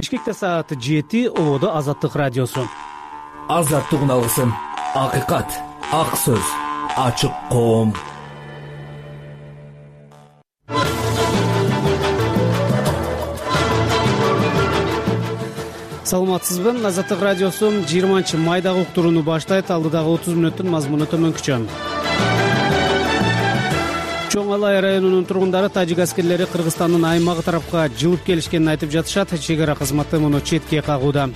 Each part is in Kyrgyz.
Бишкекте саат 7, Ободо Азаттык радиосу. Азаттык алгысым, акыйкат, ак сөз, ачык коом. Саламатсызбы? Азаттык радиосу 20-майдагы уктурууну баштайт. Алдыдагы 30 мүнөттүн мазмуну төмөнкүчө. Чоң Алай районунун тургундары тажик аскерлери Кыргызстандын аймагы тарапка жылып келишкенин айтып жатышат. Чек ара кызматы муну четке кагууда.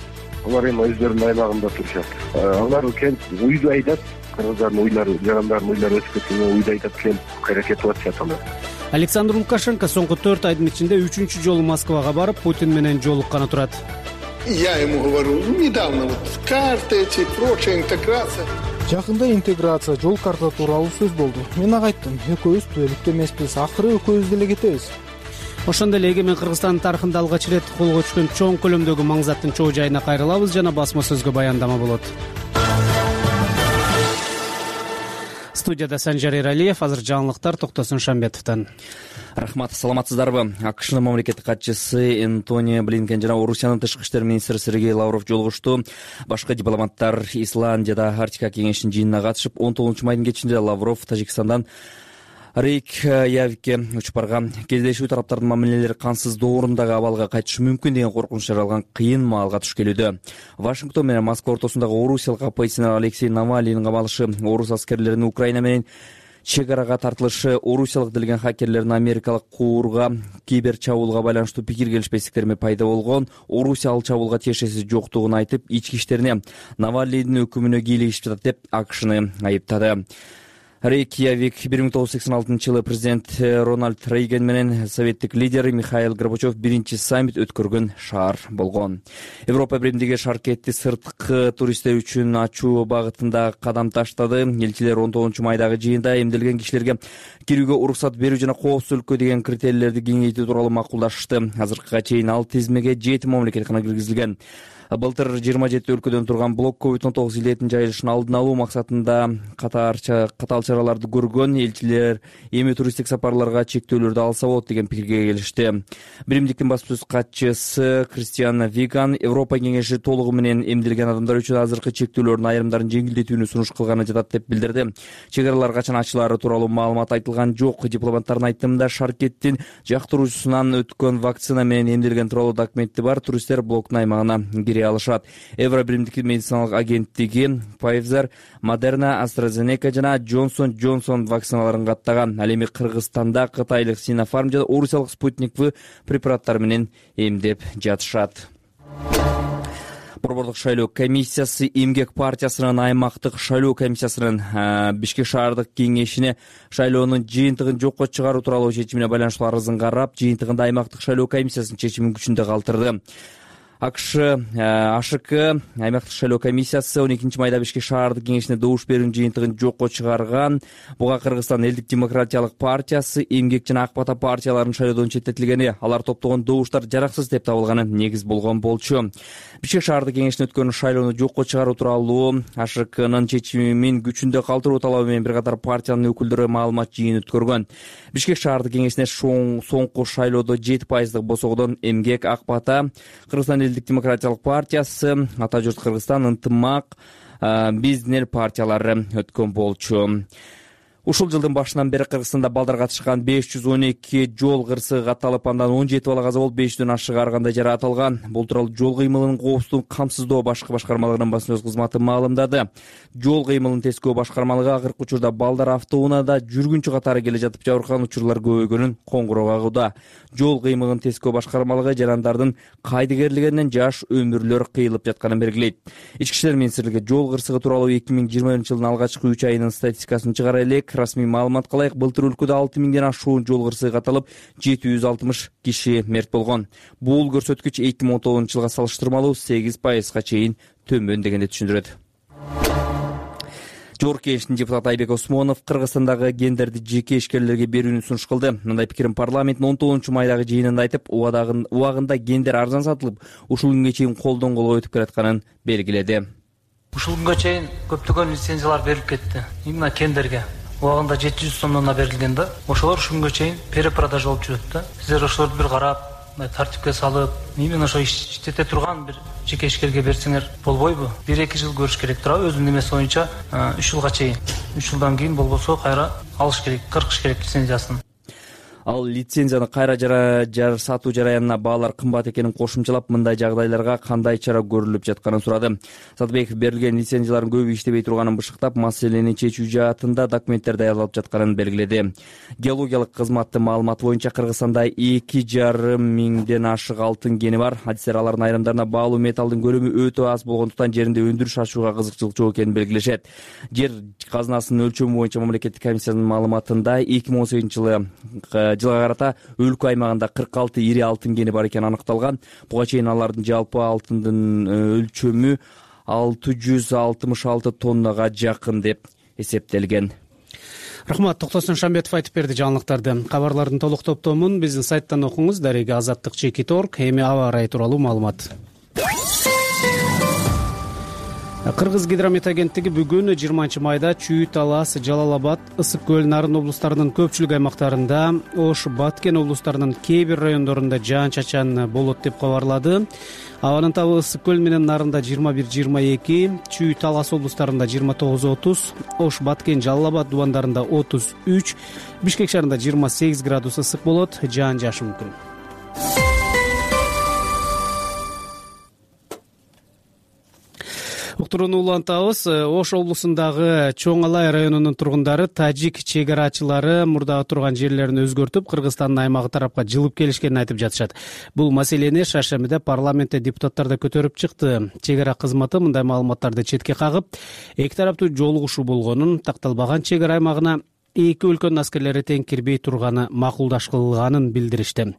Алар эми өздөрүнүн аймагында турушат. Алар келип уйду айдап, кыргыздардын уйлары, жарандардын уйлары өсүп кеткенде уйду айдап келип аракет кылып атышат алар. Александр Лукашенко соңку 4 айдын ичинде 3-чү жолу Москвага барып, Путин менен жолукканы турат. Я ему говорю, недавно карта эти, прочая интеграция. Жакында интеграция, жол карта тууралуу сөз болду. Мен ага айттым, экөөбүз түбөлүктүү эмеспиз, акыры экөөбүз деле кетебиз. Ошондой эле эгемен Кыргызстандын тарыхында алгач ирет колго түшкөн чоң көлөмдөгү маңзаттын чоо жайына кайрылабыз, жана басма сөзгө баяндама болот. Студияда Санжар Эралиев, азыр жаңылыктар Токтосун Шамбетовдон. Рахмат, саламатсыздарбы? АКШнын мамлекеттик катчысы Энтони Блинкен жана Орусиянын тышкы иштер министри Сергей Лавров жолугушту. Башка дипломаттар Исландияда Арктика кеңешинин жыйынына катышып, 19 майдын кечинде Лавров Тажикстандан Рейкьявикке учуп барган. Кездешүү тараптардын мамилелери кансыз доорундагы абалга кайтышы мүмкүн деген коркунуч жаралган кыйын маалга туш келүүдө. Вашингтон менен Москва ортосундагы орусиялык оппозиционер Алексей Навальныйдын камалышы, орус аскерлеринин Украина менен чек арага тартылышы, орусиялык делген хакерлердин америкалык куурга кибер чабуулга байланыштуу пикир келишпестиктерме пайда болгон. Орусия ал чабуулга тиешеси жоктугун айтып, ички иштерине Навальныйдын өкүмүнө кийлигишип жатат деп АКШны айыптады. Рейкьявик 1986 жылы президент Рональд Рейган менен советтик лидер Михаил Горбачев биринчи саммит өткөргөн шаар болгон. Европа биримдиги шаркетти сырткы туристтер үчүн ачуу багытында кадам таштады. Элчилер 19 майдагы жыйында эмделген кишилерге кирүүгө уруксат берүү жана коопсуздукка деген критерийлерди кеңейтүү тууралуу макулдашышты. Азыркыга чейин ал тизмеге 7 мамлекет гана киргизилген. Былтыр 27 өлкөдөн турган блок COVID-19 илетин жайылышын алдын алуу максатында катаал чараларды көргөн элчилер эми туристтик сапарларга чектөөлөрдү алса болот деген пикирге келишти. Биримдиктин басма сөз катчысы Кристиан Виган Европа кеңеши толугу менен эмделген адамдар үчүн азыркы чектөөлөрдүн айрымдарын жеңилдетүүнү сунуш кылганы жатат деп билдирди. Чек аралар качан ачылаары тууралуу маалымат айтылган жок. Дипломаттардын айтымында шаркеттин жактыруучусунан өткөн вакцина менен эмделген тууралуу документи бар туристтер блоктун аймагына кире алышат. Евро биримдиктин медициналык агенттиги Pfizer, Moderna, AstraZeneca жана Johnson & Johnson вакциналарын каттаган. Ал эми Кыргызстанда кытайлык Sinopharm жана орусиялык Sputnik V препараттары менен эмдеп жатышат. Борбордук шайлоо комиссиясы Эмгек партиясынын аймактык шайлоо комиссиясынын Бишкек шаардык кеңешине шайлоонун жыйынтыгын жокко чыгаруу тууралуу чечимине байланыштуу арызын карап, жыйынтыгында аймактык шайлоо комиссиясынын чечимин күчүндө калтырды. АШК аймактык шайлоо комиссиясы 12 майда Бишкек шаардык кеңешине добуш берүүнүн жыйынтыгын жокко чыгарган. Буга Кыргызстан элдик демократиялык партиясы, Эмгек жана Ак Бата партияларынын шайлоодон четтетилгени, алар топтогон добуштар жараксыз деп табылганы негиз болгон болчу. Бишкек шаардык кеңешине өткөн шайлоону жокко чыгаруу тууралуу АШКнын чечимин күчүндө калтыруу талабы менен бир катар партиянын өкүлдөрү маалымат жыйын өткөргөн. Бишкек шаардык кеңешине соңку шайлоодо 7% босогодон Эмгек, Ак Бата, Кыргызстан элдик демократиялык партиясы, Ата журт Кыргызстан, Ынтымак, Биздин партиялары өткөн болчу. Ушул жылдын башынан бери Кыргызстанда балдар катышкан 512 жол кырсыгы катталып, андан 17 бала каза болуп, 500дөн ашык ар кандай жараат алган. Бул тууралуу жол кыймылынын коопсуздугун камсыздоо башкы башкармалыгынын басма сөз кызматы маалымдады. Жол кыймылын тескөө башкармалыгы акыркы учурда балдар автоунаада жүргүнчү катары келе жатып жабыркаган учурлар көбөйгөнүн коңгуроо кагууда. Жол кыймылын тескөө башкармалыгы жарандардын кайдыгерлигинен жаш өмүрлөр кыйылып жатканын белгилейт. Ички иштер министрлиги жол кырсыгы тууралуу 2020 жылдын алгачкы 3 айынын статистикасын чыгара элек. Расмий маалыматка ылайык былтыр өлкөдө 6000ден ашуун жол кырсыгы катталып, 760 киши мерт болгон. Бул көрсөткүч 2019 жылга салыштырмалуу 8%га чейин төмөн дегенди түшүндүрөт. Жогорку кеңештин депутаты Айбек Осмонов Кыргызстандагы гендерди жеке ишкерлерге берүүнү сунуш кылды. Мындай пикирин парламенттин 19 майдагы жыйынында айтып, убагында гендер арзан сатылып, ушул күнгө чейин колдон колго өтүп келатканын белгиледи. Ушул күнгө чейин көптөгөн лицензиялар берилип кетти. Именно гендерге убагында 700 сомдон берилген да. Ошолор ушул күнгө чейин перепродажа болуп жүрөт да. Сиздер ошолорду бир карап, тартипке салып, именно ошо иштете турган бир жеке ишкерге берсеңер болбойбу? 1-2 жыл көрүш керек туурабы өзүнүн эмеси боюнча 3 жылга чейин. 3 жылдан кийин болбосо кайра алыш керек, кыркыш керек лицензиясын. Ал лицензияны кайра сатуу жараянына баалар кымбат экенин кошумчалап, мындай жагдайларга кандай чара көрүлүп жатканын сурады. Сатыбеков берилген лицензиялардын көбү иштебей турганын бышыктап, маселени чечүү жаатында документтер даярдалып жатканын белгиледи. Геологиялык кызматтын маалыматы боюнча Кыргызстанда 2,5 миңден ашык алтын кени бар. Адистер алардын айрымдарына баалуу металлдын көлөмү өтө аз болгондуктан жеринде өндүрүш ачууга кызыкчылык жок экенин белгилешет. Жер казынасынын өлчөмү боюнча мамлекеттик комиссиянын маалыматында 2018 жылга карата өлкө аймагында 46 ири алтын кени бар экени аныкталган. Буга чейин алардын жалпы алтындын өлчөмү 666 тоннага жакын деп эсептелген. Рахмат, Токтосун Шамбетов айтып берди жаңылыктарды. Кабарлардын толук топтомун биздин сайттан окуңуз. Дареги azаттык.org. Эми аба ырайы тууралуу маалымат. Кыргыз гидромет агенттиги бүгүн 20-майда Чүй, Талас, Жалал Абад, Ысык көл, Нарын облустарынын көпчүлүк аймактарында, Ош, Баткен облустарынын кээ бир райондорунда жаан-чачан болот деп кабарлады. Абанын табы Ысык көл менен Нарында 21-22, Чүй, Талас облустарында 29-30, Ош, Баткен, Жалал Абад дубандарында 33, Бишкек шаарында 28 градус ысык болот, жаан жаашы мүмкүн. Уктурууну улантабыз. Ош облусундагы Чоң Алай районунун тургундары тажик чек арачылары мурдагы турган жерлерин өзгөртүп, Кыргызстандын аймагы тарапка жылып келишкенин айтып жатышат. Бул маселени шаршемиде парламентте депутаттар да көтөрүп чыкты. Чек ара кызматы мындай маалыматтарды четке кагып, эки тараптуу жолугушуу болгонун, такталбаган чек ара аймагына эки өлкөнүн аскерлери тең кирбей турганы макулдашылганын билдиришти.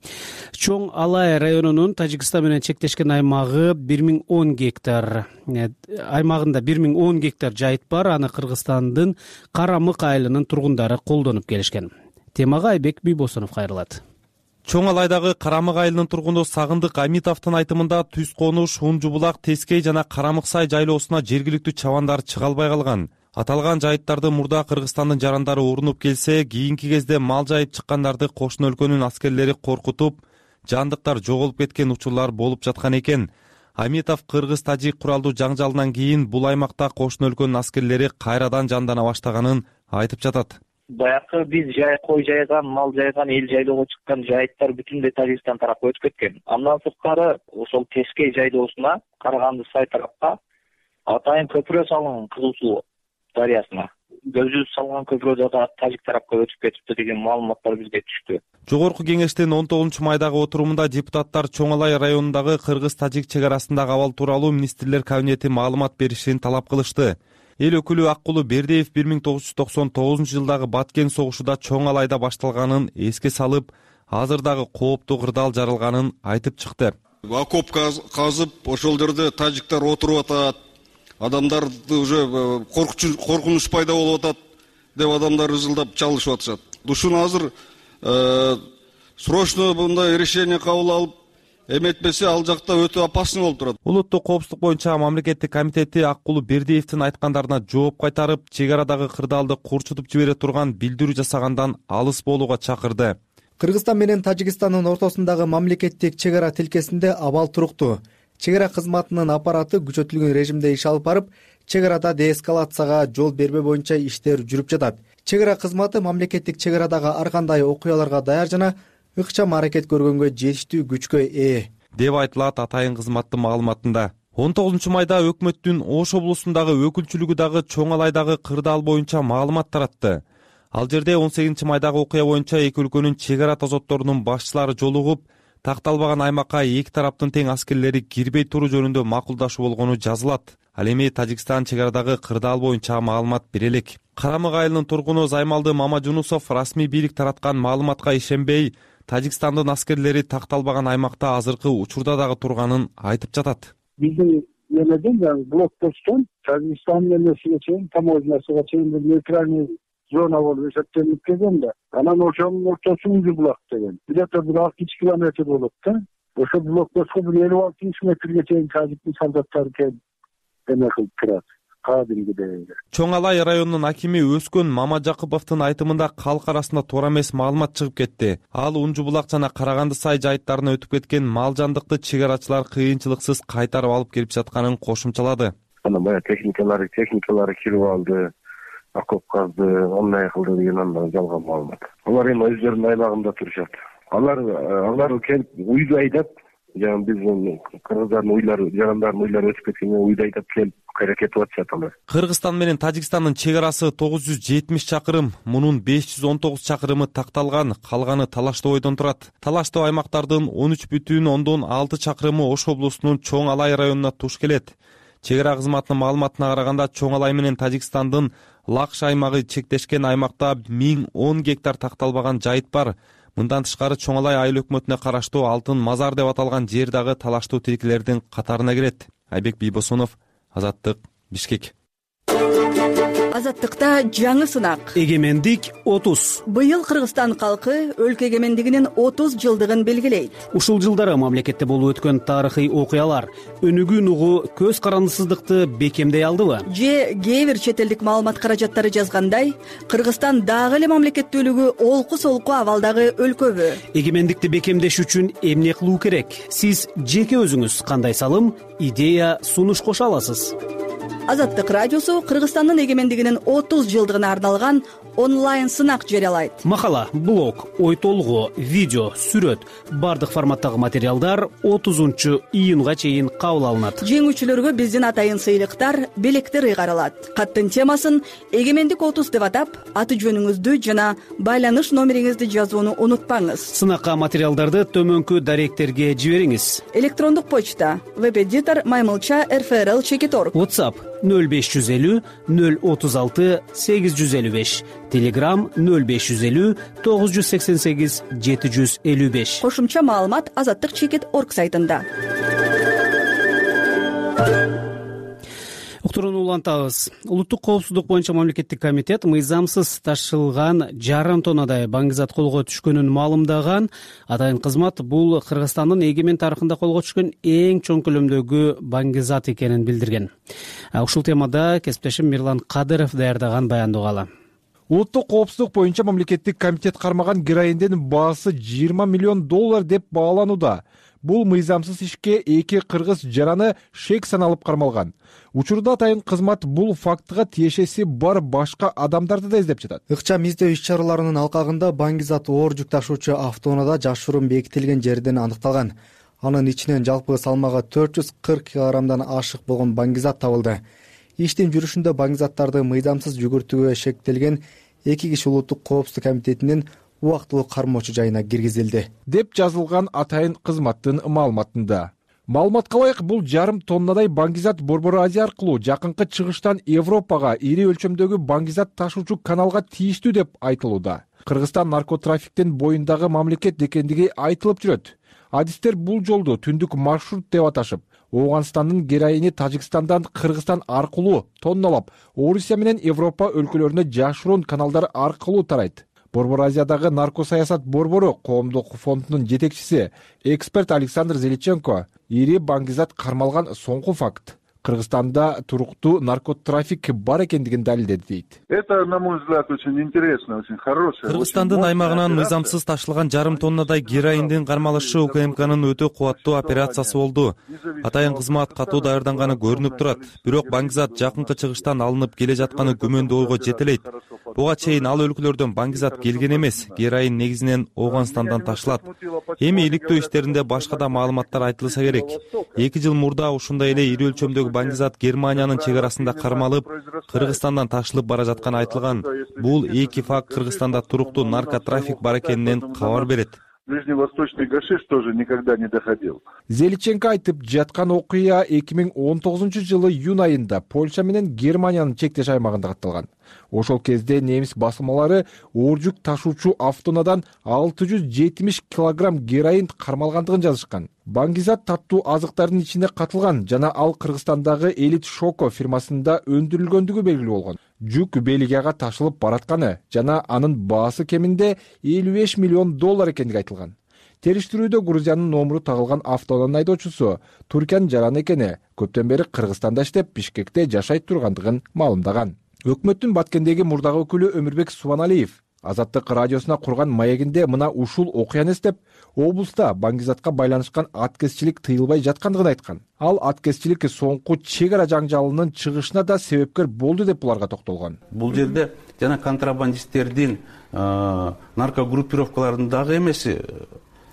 Чоң Алай районунун Тажикстан менен чектешкен аймагы 1010 гектар. Аймагында 1010 гектар жайыт бар. Аны Кыргызстандын Карамык айылынын тургундары колдонуп келишкен. Темага Айбек Бийбосунов кайрылат. Чоң Алайдагы Карамык айылынын тургуну Сагындык Амитовдун айтымында Түз Конуш, Унжубулак, Тескей жана Карамык сай жайлоосуна жергиликтүү чабандар чыга албай калган. Аталган жайыттарды мурда Кыргызстандын жарандары урунуп келсе, кийинки кезде мал жайып чыккандарды кошуна өлкөнүн аскерлери коркутуп, жандыктар жоголуп кеткен учурлар болуп жаткан экен. Амитов кыргыз-тажик куралдуу жаңжалынан кийин бул аймакта кошуна өлкөнүн аскерлери кайрадан жандана баштаганын айтып жатат. Баягы биз кой жайган, мал жайган, эл жайлоого чыккан жайыттар бүтүндөй Тажикстан тарапка өтүп кеткен. Андан сырткары ошол Тескей жайлоосуна, Караганды сай тарапка атайын көпүрө салынган Кызыл Суу дарыясына. Көзү салган көпүрө да тажик тарапка өтүп кетипти деген маалыматтар бизге түштү. Жогорку кеңештин 19-майдагы отурумунда депутаттар Чоң Алай районундагы кыргыз-тажик чек арасындагы абал тууралуу министрлер кабинети маалымат беришин талап кылышты. Эл өкүлү Аккулу Бердиев 1999-жылдагы Баткен согушуда Чоң Алайда башталганын эске салып, азыр дагы кооптуу кырдаал жаралганын айтып чыкты. Окоп казып, ошол жерде тажиктар отуруп атат. Адамдарды уже коркунуч пайда болуп атат деп адамдар ызылдап чалышып атышат. Ушуну азыр срочно мындай решение кабыл алып, эметпесе ал жакта өтө опасный болуп турат. Улуттук коопсуздук боюнча мамлекеттик комитети Аккулу Бердиевдин айткандарына жооп кайтарып, чек арадагы кырдаалды курчутуп жибере турган билдирүү жасагандан алыс болууга чакырды. Кыргызстан менен Тажикстандын ортосундагы мамлекеттик чек ара тилкесинде абал туруктуу. Чек ара кызматынын аппараты күчөтүлгөн режимде иш алып барып, чек арада деэскалацияга жол бербөө боюнча иштер жүрүп жатат. Чек ара кызматы мамлекеттик чек арадагы ар кандай окуяларга даяр жана ыкчам аракет көргөнгө жетиштүү күчкө ээ деп айтылат атайын кызматтын маалыматында. 19-майда өкмөттүн Ош облусундагы өкүлчүлүгү дагы Чоң Алайдагы кырдаал боюнча маалымат таратты. Ал жерде 18-майдагы окуя боюнча эки өлкөнүн чек ара тозотторунун башчылары жолугуп, такталбаган аймакка эки тараптын тең аскерлери кирбей туруу жөнүндө макулдашуу болгону жазылат. Ал эми Тажикстан чек арадагы кырдаал боюнча маалымат бере элек. Карамык айылынын тургуну Займалды Мамажунусов расмий бийлик тараткан маалыматка ишенбей, Тажикстандын аскерлери такталбаган аймакта азыркы учурда дагы турганын айтып жатат. Биздин эмеден блокпосттон Тажикстандын эмесине чейин, таможнясына чейин нейтральный зона болуп эсептелип келген да. Анан ошонун ортосу Унжубулак деген. Где-то 6 километр болот да. Ошо блокпостко 56 метрге чейин тажиктин солдаттары келип эме кылып турат. кадимгидей. Чоң Алай районунун акими Өскөн Мамажакыповдун айтымында калк арасында туура эмес маалымат чыгып кетти. Ал Унжу булак жана Караганды сай жайыттарына өтүп кеткен мал жандыкты чек арачылар кыйынчылыксыз кайтарып алып келип жатканын кошумчалады. Анан баягы техникалары кирип алды, окоп казды, андай кылды деген андан жалган маалымат. Алар эми өздөрүнүн аймагында турушат. Алар келип уйду айдап, жана биздин кыргыздардын уйлары, жарандардын уйлары өтүп кеткенде уйду айдап келип аракет кылып атышат алар. Кыргызстан менен Тажикстандын чек арасы 970 чакырым, мунун 519 чакырымы такталган, калганы Талаштоо бойдон турат. Талаштоо аймактардын 13,6 чакырымы Ош облусунун Чоң Алай районуна туш келет. Чек ара кызматынын маалыматына караганда Чоң Алай менен Тажикстандын Лакш аймагы чектешкен аймакта 1010 гектар такталбаган жайыт бар. Мындан тышкары Чоң Алай айыл өкмөтүнө караштуу Алтын Мазар деп аталган жер дагы талаштуу тилкелердин катарына кирет. Айбек Бийбосунов, Азаттык, Бишкек. Азаттыкта жаңы сынак. Эгемендик 30. Быйыл Кыргызстан калкы өлкө эгемендигинин 30 жылдыгын белгилейт. Ушул жылдары мамлекетте болуп өткөн тарыхый окуялар өнүгүүн угу көз карандысыздыкты бекемдей алдыбы? Же кээ бир чет элдик маалымат каражаттары жазгандай, Кыргызстан дагы эле мамлекеттүүлүгү олку-солку абалдагы өлкөбү? Эгемендикти бекемдеш үчүн эмне кылуу керек? Сиз жеке өзүңүз кандай салым, идея, сунуш кошо аласыз? Азаттык радиосу Кыргызстандын эгемендигинин 30 жылдыгына арналган онлайн сынак жарыялайт. Макала, блог, ой толгоо, видео, сүрөт, бардык форматтагы материалдар 30-июнга чейин кабыл алынат. Жеңүүчүлөргө биздин атайын сыйлыктар, белектер ыйгарылат. Каттын темасын эгемендик 30 деп атап, аты жөнүңүздү жана байланыш номериңизди жазууну унутпаңыз. Сынакка материалдарды төмөнкү даректерге жибериңиз. Электрондук почта web-editor maymilcha@rfrl.org. WhatsApp 0550 036 855. Telegram 0550 988 755. Кошумча маалымат azattik.org сайтында. Уктурууну улантабыз. Улуттук коопсуздук боюнча мамлекеттик комитет мыйзамсыз ташылган жарым тоннадай баңгизат колго түшкөнүн маалымдаган. Атайын кызмат бул Кыргызстандын эгемен тарыхында колго түшкөн эң чоң көлөмдөгү баңгизат экенин билдирген. Ушул темада кесиптешим Мирлан Кадыров даярдаган баянды угалы. Улуттук коопсуздук боюнча мамлекеттик комитет кармаган героиндин баасы $20 миллион деп бааланууда. Бул мыйзамсыз ишке 2 кыргыз жараны шек саналып кармалган. Учурда атайын кызмат бул фактыга тиешеси бар башка адамдарды да издеп жатат. Ыкчам издөө иш-чараларынын алкагында баңгизат оор жүк ташуучу автоунаада жашыруун бекитилген жерден аныкталган. Анын ичинен жалпы салмагы 440 килограммдан ашык болгон баңгизат табылды. Иштин жүрүшүндө баңгизаттарды мыйзамсыз жүгүртүүгө шектелген 2 киши улуттук коопсуздук комитетинин убактылуу кармоочу жайына киргизилди, деп жазылган атайын кызматтын маалыматында. Маалыматка ылайык, бул жарым тоннадай баңгизат Борбор Азия аркылуу жакынкы чыгыштан Европага ири өлчөмдөгү баңгизат ташуучу каналга тийиштүү деп айтылууда. Кыргызстан наркотрафиктин боюндагы мамлекет экендиги айтылып жүрөт. Адистер бул жолду түндүк маршрут деп аташып, Ооганстандын героини Тажикстандан Кыргызстан аркылуу тонналап, Орусия менен Европа өлкөлөрүнө жашыруун каналдар аркылуу тарайт. Борбор Азиядагы наркосаясат борбору коомдук фондунун жетекчиси, эксперт Александр Зеличенко ири баңгизат кармалган соңку факт Кыргызстанда туруктуу наркотрафик бар экендигин далилдеди дейт. Это, на мой взгляд, очень интересно, очень хорошее. Кыргызстандын аймагынан мыйзамсыз ташылган жарым тоннадай героиндин кармалышы УКМКнын өтө кубаттуу операциясы болду. Атайын кызмат катуу даярданганы көрүнүп турат. Бирок баңгизат жакынкы чыгыштан алынып келе жатканы күмөндүү ойго жетелейт. Буга чейин ал өлкөлөрдөн баңгизат келген эмес, героин негизинен Ооганстандан ташылат. Эми иликтөө иштеринде башка да маалыматтар айтылса керек. 2 жыл мурда ушундай эле ири өлчөмдөгү баңгизат Германиянын чек арасында кармалып, Кыргызстандан ташылып бара жатканы айтылган. Бул 2 факт Кыргызстанда туруктуу наркотрафик бар экенинен кабар берет. Ближневосточный гашиш тоже никогда не доходил. Зеличенко айтып жаткан окуя 2019-жылы июнь айында Польша менен Германиянын чектеш аймагында катталган. Ошол кезде немис басылмалары оор жүк ташуучу автонаадан 670 килограмм героин кармалгандыгын жазышкан. Баңгизат таттуу азыктардын ичине катылган жана ал Кыргызстандагы Элит Шоко фирмасында өндүрүлгөндүгү белгилүү болгон. Жүк Бельгияга ташылып баратканы жана анын баасы кеминде $55 миллион экендиги айтылган. Териштирүүдө Грузиянын номуру тагылган автоунаа айдоочусу Туркиянын жараны экени, көптөн бери Кыргызстанда иштеп, Бишкекте жашай тургандыгын маалымдаган. Өкмөттүн Баткендеги мурдагы өкүлү Өмүрбек Субаналиев Азаттык радиосуна курган маегинде мына ушул окуяны эстеп, облуста баңгизатка байланышкан аткезчилик тыйылбай жаткандыгын айткан. Ал аткезчилик соңку чек ара жаңжалынын чыгышына да себепкер болду деп буларга токтолгон. Бул жерде жана контрабандисттердин наркогруппировкалардын дагы эмеси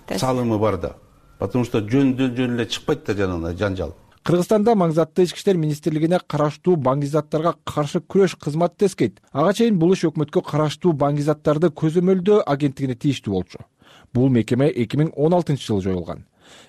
салымы бар да. Потому что жөн эле чыкпайт да жанагы жаңжал. Кыргызстанда маңзаттуу ички иштер министрлигине караштуу баңгизаттарга каршы күрөш кызматы тескейт. Ага чейин бул иш өкмөткө караштуу баңгизаттарды көзөмөлдөө агенттигине тийиштүү болчу. Бул мекеме 2016-жылы жоюлган.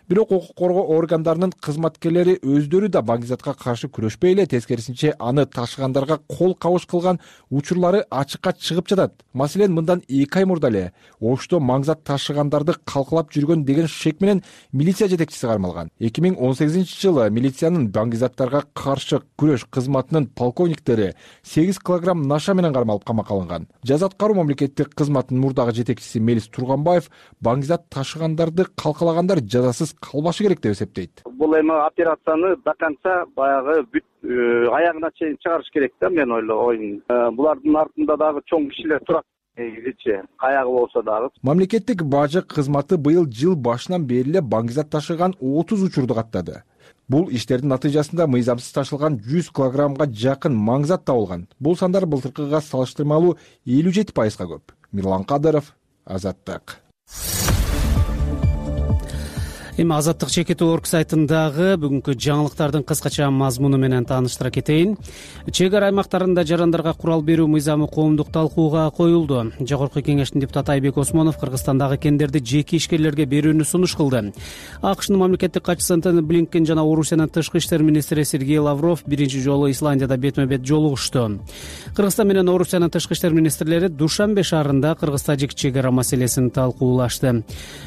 Бирок укук коргоо органдарынын кызматкерлери өздөрү да баңгизатка каршы күрөшпөй эле, тескерисинче аны ташыгандарга кол кабыш кылган учурлары ачыкка чыгып жатат. Маселен, мындан 2 ай мурда эле Ошто маңзат ташыгандарды калкалап жүргөн деген шек менен милиция жетекчиси кармалган. 2018-жылы милициянын баңгизаттарга каршы күрөш кызматынын полковниктери 8 килограмм наша менен кармалып камакка алынган. Жаза аткаруу мамлекеттик кызматынын мурдагы жетекчиси Мелис Турганбаев баңгизат ташыгандарды калкалагандар жазасыз калбашы керек деп эсептейт. Бул эми операцияны до конца баягы бүт аягына чейин чыгарыш керек да, мен ойлойм. Булардын артында дагы чоң кишилер турат. Каягы болсо дагы. Мамлекеттик бажы кызматы быйыл жыл башынан бери эле баңгизат ташыган 30 учурду каттады. Бул иштердин натыйжасында мыйзамсыз ташылган 100 килограммга жакын маңзат табылган. Бул сандар былтыркыга салыштырмалуу 57%га көп. Мирлан Кадыров, Азаттык. Эми Азаттык Чекит.org сайтындагы бүгүнкү жаңылыктардын кыскача мазмуну менен тааныштыра кетейин. Чек ара аймактарында жарандарга курал берүү мыйзамы коомдук талкууга коюлду. Жогорку кеңештин депутаты Айбек Осмонов Кыргызстандагы кендерди жеке ишкерлерге берүүнү сунуш кылды. AQShnын мамлекеттик катчысы Антони Блинкен жана Орусиянын тышкы иштер министри Сергей Лавров биринчи жолу Исландияда бетме-бет жолугушту. Кыргызстан менен Орусиянын тышкы иштер министрлери Душанбе шаарында кыргыз-тажик чек ара маселесин талкуулашты.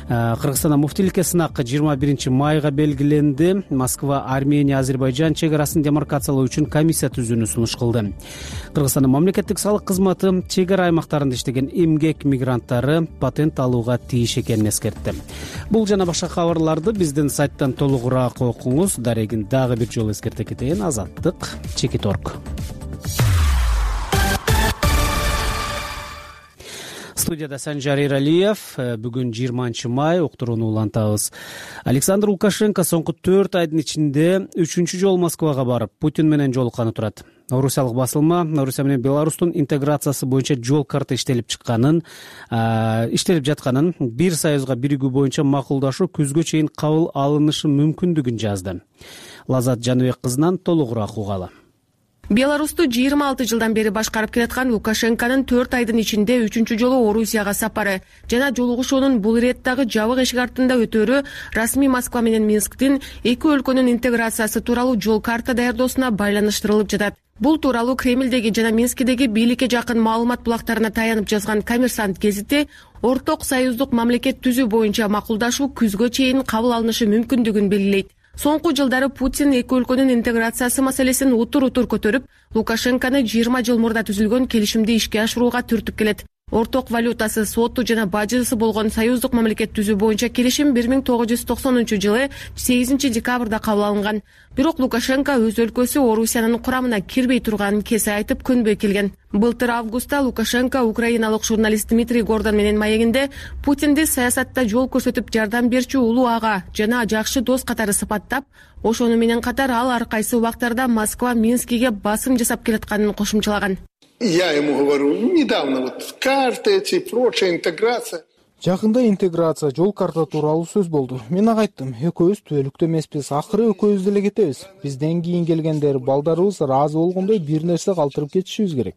Кыргызстанда муфтиликке сынак 21 майга белгиленди. Москва Армения Азербайжан чек арасын демаркациялоо үчүн комиссия түзүүнү сунуш кылды. Кыргызстандын мамлекеттик салык кызматы чек ара аймактарында иштеген эмгек мигранттары патент алууга тийиш экенин эскертти. Бул жана башка кабарларды биздин сайттан толугураак окуңуз. Дарегин дагы бир жолу эскерте кетейин. Азаттык Чекит.org. Студияда Санжар Эралиев. Бүгүн 20 май, уктурууну улантабыз. Александр Лукашенко соңку 4 айдын ичинде 3-чү жолу Москвага барып, Путин менен жолукканы турат. Орусиялык басылма Орусия менен Беларустун интеграциясы боюнча жол карта иштелип жатканын, бир союзга биригүү боюнча макулдашуу күзгө чейин кабыл алынышы мүмкүндүгүн жазды. Лазат Жаныбек кызынан толугураак угалы. Беларусту 26 жылдан бери башкарып келаткан Лукашенконун 4 айдын ичинде 3-чү жолу Орусияга сапары жана жолугушуунун бул ирет дагы жабык эшик артында өтөрү расмий Москва менен Минсктин эки өлкөнүн интеграциясы тууралуу жол карта даярдоосуна байланыштырылып жатат. Бул тууралуу Кремлдеги жана Минскидеги бийликке жакын маалымат булактарына таянып жазган Коммерсант гезити орток союздук мамлекет түзүү боюнча макулдашуу күзгө чейин кабыл алынышы мүмкүндүгүн белгилейт. Соңку жылдары Путин эки өлкөнүн интеграциясы маселесин утур-утур көтөрүп, Лукашенкону 20 жыл мурда түзүлгөн келишимди ишке ашырууга түртүп келет. Орток валютасы, соту жана бажысы болгон союздук мамлекет түзүү боюнча келишим 1990-жылы 8 декабрда кабыл алынган. Бирок Лукашенко өз өлкөсү Орусиянын курамына кирбей турганын кесе айтып көнбөй келген. Былтыр августта Лукашенко украиналык журналист Дмитрий Гордон менен маегинде Путинди саясатта жол көрсөтүп жардам берчү улуу ага жана жакшы дос катары сыпаттап, ошону менен катар ал ар кайсы убактарда Москва Минскиге басым жасап келатканын кошумчалаган. Я ему говорю, недавно вот карты эти, прочая интеграция. Жакында интеграция, жол карта тууралуу сөз болду. Мен ага айттым, экөөбүз түбөлүктө эмеспиз, акыры экөөбүз деле кетебиз. Бизден кийин келгендер, балдарыбыз ыраазы болгондой бир нерсе калтырып кетишибиз керек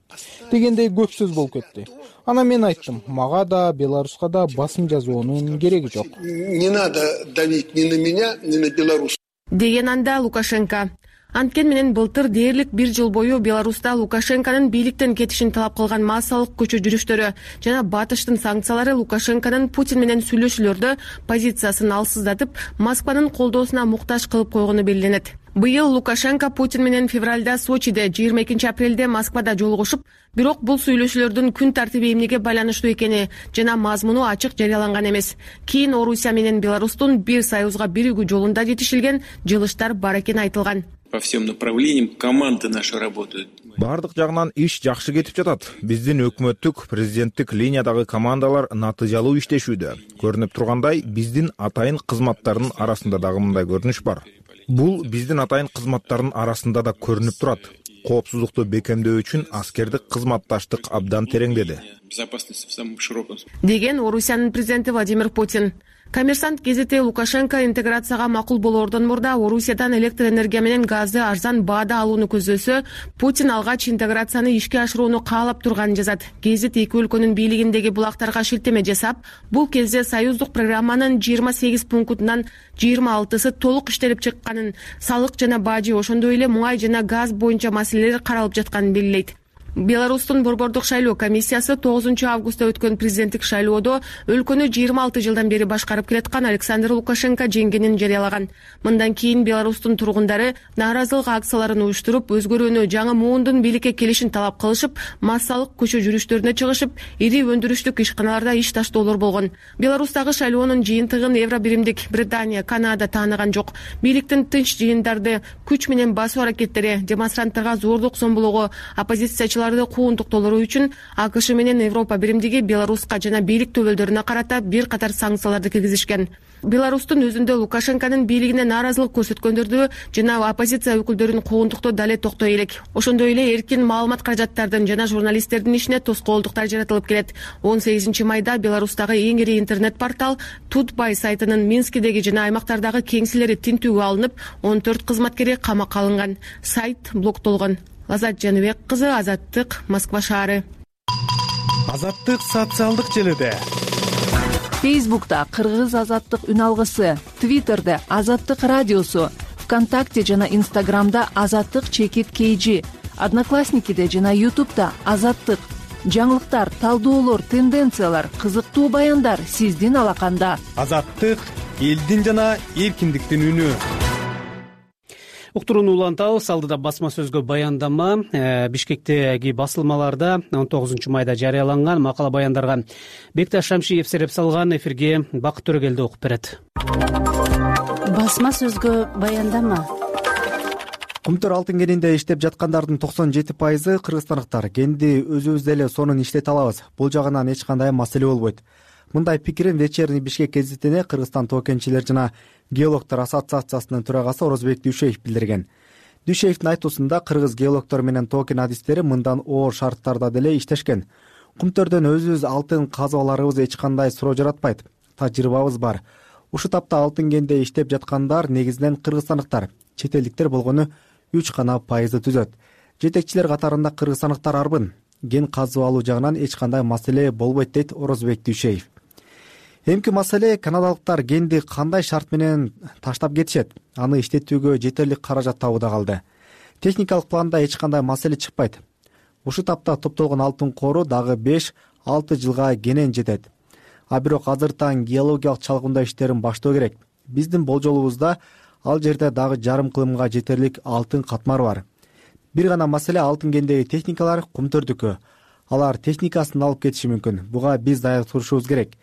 дегендей көп сөз болуп кетти. Анан мен айттым, мага да, Беларуска да басым жазуунун кереги жок. Не надо давить ни на меня, ни на Беларусь. Деген анда Лукашенко. Анткени менен былтыр дээрлик 1 жыл бою Беларуста Лукашенконун бийликтен кетишин талап кылган массалык көчө жүрүштөрү жана батыштын санкциялары Лукашенконун Путин менен сүйлөшүүлөрдө позициясын алсыздатып, Москванын колдоосуна муктаж кылып койгону белгиленет. Быйыл Лукашенко Путин менен февралда Сочиде, 22-апрелде Москвада жолугушуп, бирок бул сүйлөшүүлөрдүн күн тартиби эмнеге байланыштуу экени жана мазмуну ачык жарыяланган эмес. Кийин Орусия менен Беларустун бир союзга биригүү жолунда жетишилген жылыштар бар экени айтылган. По всем направлениям команды наши работают. Бардык жагынан иш жакшы кетип жатат. Биздин өкмөттүк, президенттик линиядагы командалар натыйжалуу иштешүүдө. Көрүнүп тургандай, биздин атайын кызматтардын арасында дагы мындай көрүнүш бар. Бул биздин атайын кызматтардын арасында да көрүнүп турат. Коопсуздукту бекемдөө үчүн аскердик кызматташтык абдан тереңдеди. Безопасность в самом широком. Деген Орусиянын президенти Владимир Путин. Коммерсант гезити Лукашенко интеграцияга макул болоордон мурда Орусиядан электр энергия менен газды арзан баада алууну көздөсө, Путин алгач интеграцияны ишке ашырууну каалап турганын жазат. Гезит эки өлкөнүн бийлигиндеги булактарга шилтеме жасап, бул кезде союздук программанын 28 пунктунан 26сы толук иштелип чыкканын, салык жана бажы, ошондой эле муңай жана газ боюнча маселелер каралып жатканын белгилейт. Беларустун борбордук шайлоо комиссиясы 9 августта өткөн президенттик шайлоодо өлкөнү 26 жылдан бери башкарып келаткан Александр Лукашенко жеңгенин жарыялаган. Мындан кийин Беларустун тургундары нааразылык акцияларын уюштуруп, өзгөрүүнү, жаңы муундун бийликке келишин талап кылышып, массалык көчө жүрүштөрүнө чыгышып, ири өндүрүштүк ишканаларда иш таштоолор болгон. Беларустагы шайлоонун жыйынтыгын Евро биримдик Британия, Канада тааныган жок. Бийликтин тынч жыйындарды, күч менен басуу аракеттери, демонстранттарга зордук зомбулоого, оппозициячылар кууntуктоолору үчүн АКШ менен Европа биримдиги Беларуска жана бийлик төбөлдөрүнө карата бир катар санкцияларды киргизишкен. Беларустун өзүндө Лукашенконун бийлигине нааразылык көрсөткөндөрдү жана оппозиция өкүлдөрүн кууntуктоо дале токтой элек. Ошондой эле эркин маалымат каражаттардын жана журналисттердин ишине тоскоолдуктар жаратылып келет. 18 майда Беларустагы эң ири интернет портал Тутбай сайтынын Минскидеги жана аймактардагы кеңселери тинтүүгө алынып, 14 кызматкери камакка алынган. Сайт блоктолгон. Азат Жаныбек кызы, Азаттык, Москва шаары. Азаттык социалдык желиде. Фейсбукта Кыргыз Азаттык үн алгысы, Твиттерде Азаттык радиосу, ВКонтакте жана Инстаграмда Азаттык чекит KG, Одноклассникиде жана Ютубта Азаттык. Жаңылыктар, талдоолор, тенденциялар, кызыктуу баяндар сиздин алаканда. Азаттык элдин жана эркиндиктин үнү. Уктурууну улантабыз. Алдыда басма сөзгө баяндама Бишкектеги басылмаларда 19 майда жарыяланган макала баяндарга Бекташ Шамшиев сереп салган. Эфирге Бакыт Төрөгелди окуп берет. Басма сөзгө баяндама. Кумтөр алтын кенинде иштеп жаткандардын 97% кыргызстандыктар. Кенди өзүбүз эле сонун иштете алабыз. Бул жагынан эч кандай маселе болбойт. Мындай пикирин Вечерний Бишкек гезитине Кыргызстан тоо кенчилер жана геологдор ассоциациясынын төрагасы Орозбек Дүйшеев билдирген. Дүйшеевдин айтуусунда кыргыз геологдор менен тоо кен адистери мындан оор шарттарда деле иштешкен. Кумтөрдөн өзүбүз алтын казып аларыбыз эч кандай суроо жаратпайт. Тажрыйбабыз бар. Ушу тапта алтын кенде иштеп жаткандар негизинен кыргызстандыктар. Чет элдиктер болгону 3% түзөт. Жетекчилер катарында кыргызстандыктар арбын. Кен казып алуу жагынан эч кандай маселе болбойт дейт Орозбек Дүйшеев. Эмки маселе канадалыктар кенди кандай шарт менен таштап кетишет, аны иштетүүгө жетерлик каражат табууда калды. Техникалык планда эч кандай маселе чыкпайт. Ушу тапта топтолгон алтын кору дагы 5-6 жылга кенен жетет. А бирок азыртаң геологиялык чалгындоо иштерин баштоо керек. Биздин болжолубузда ал жерде дагы жарым кылымга жетерлик алтын катмар бар. Бир гана маселе алтын кендеги техникалар кумтөрдүкү. Алар техникасын алып кетиши мүмкүн. Буга биз даяр турушубуз керек.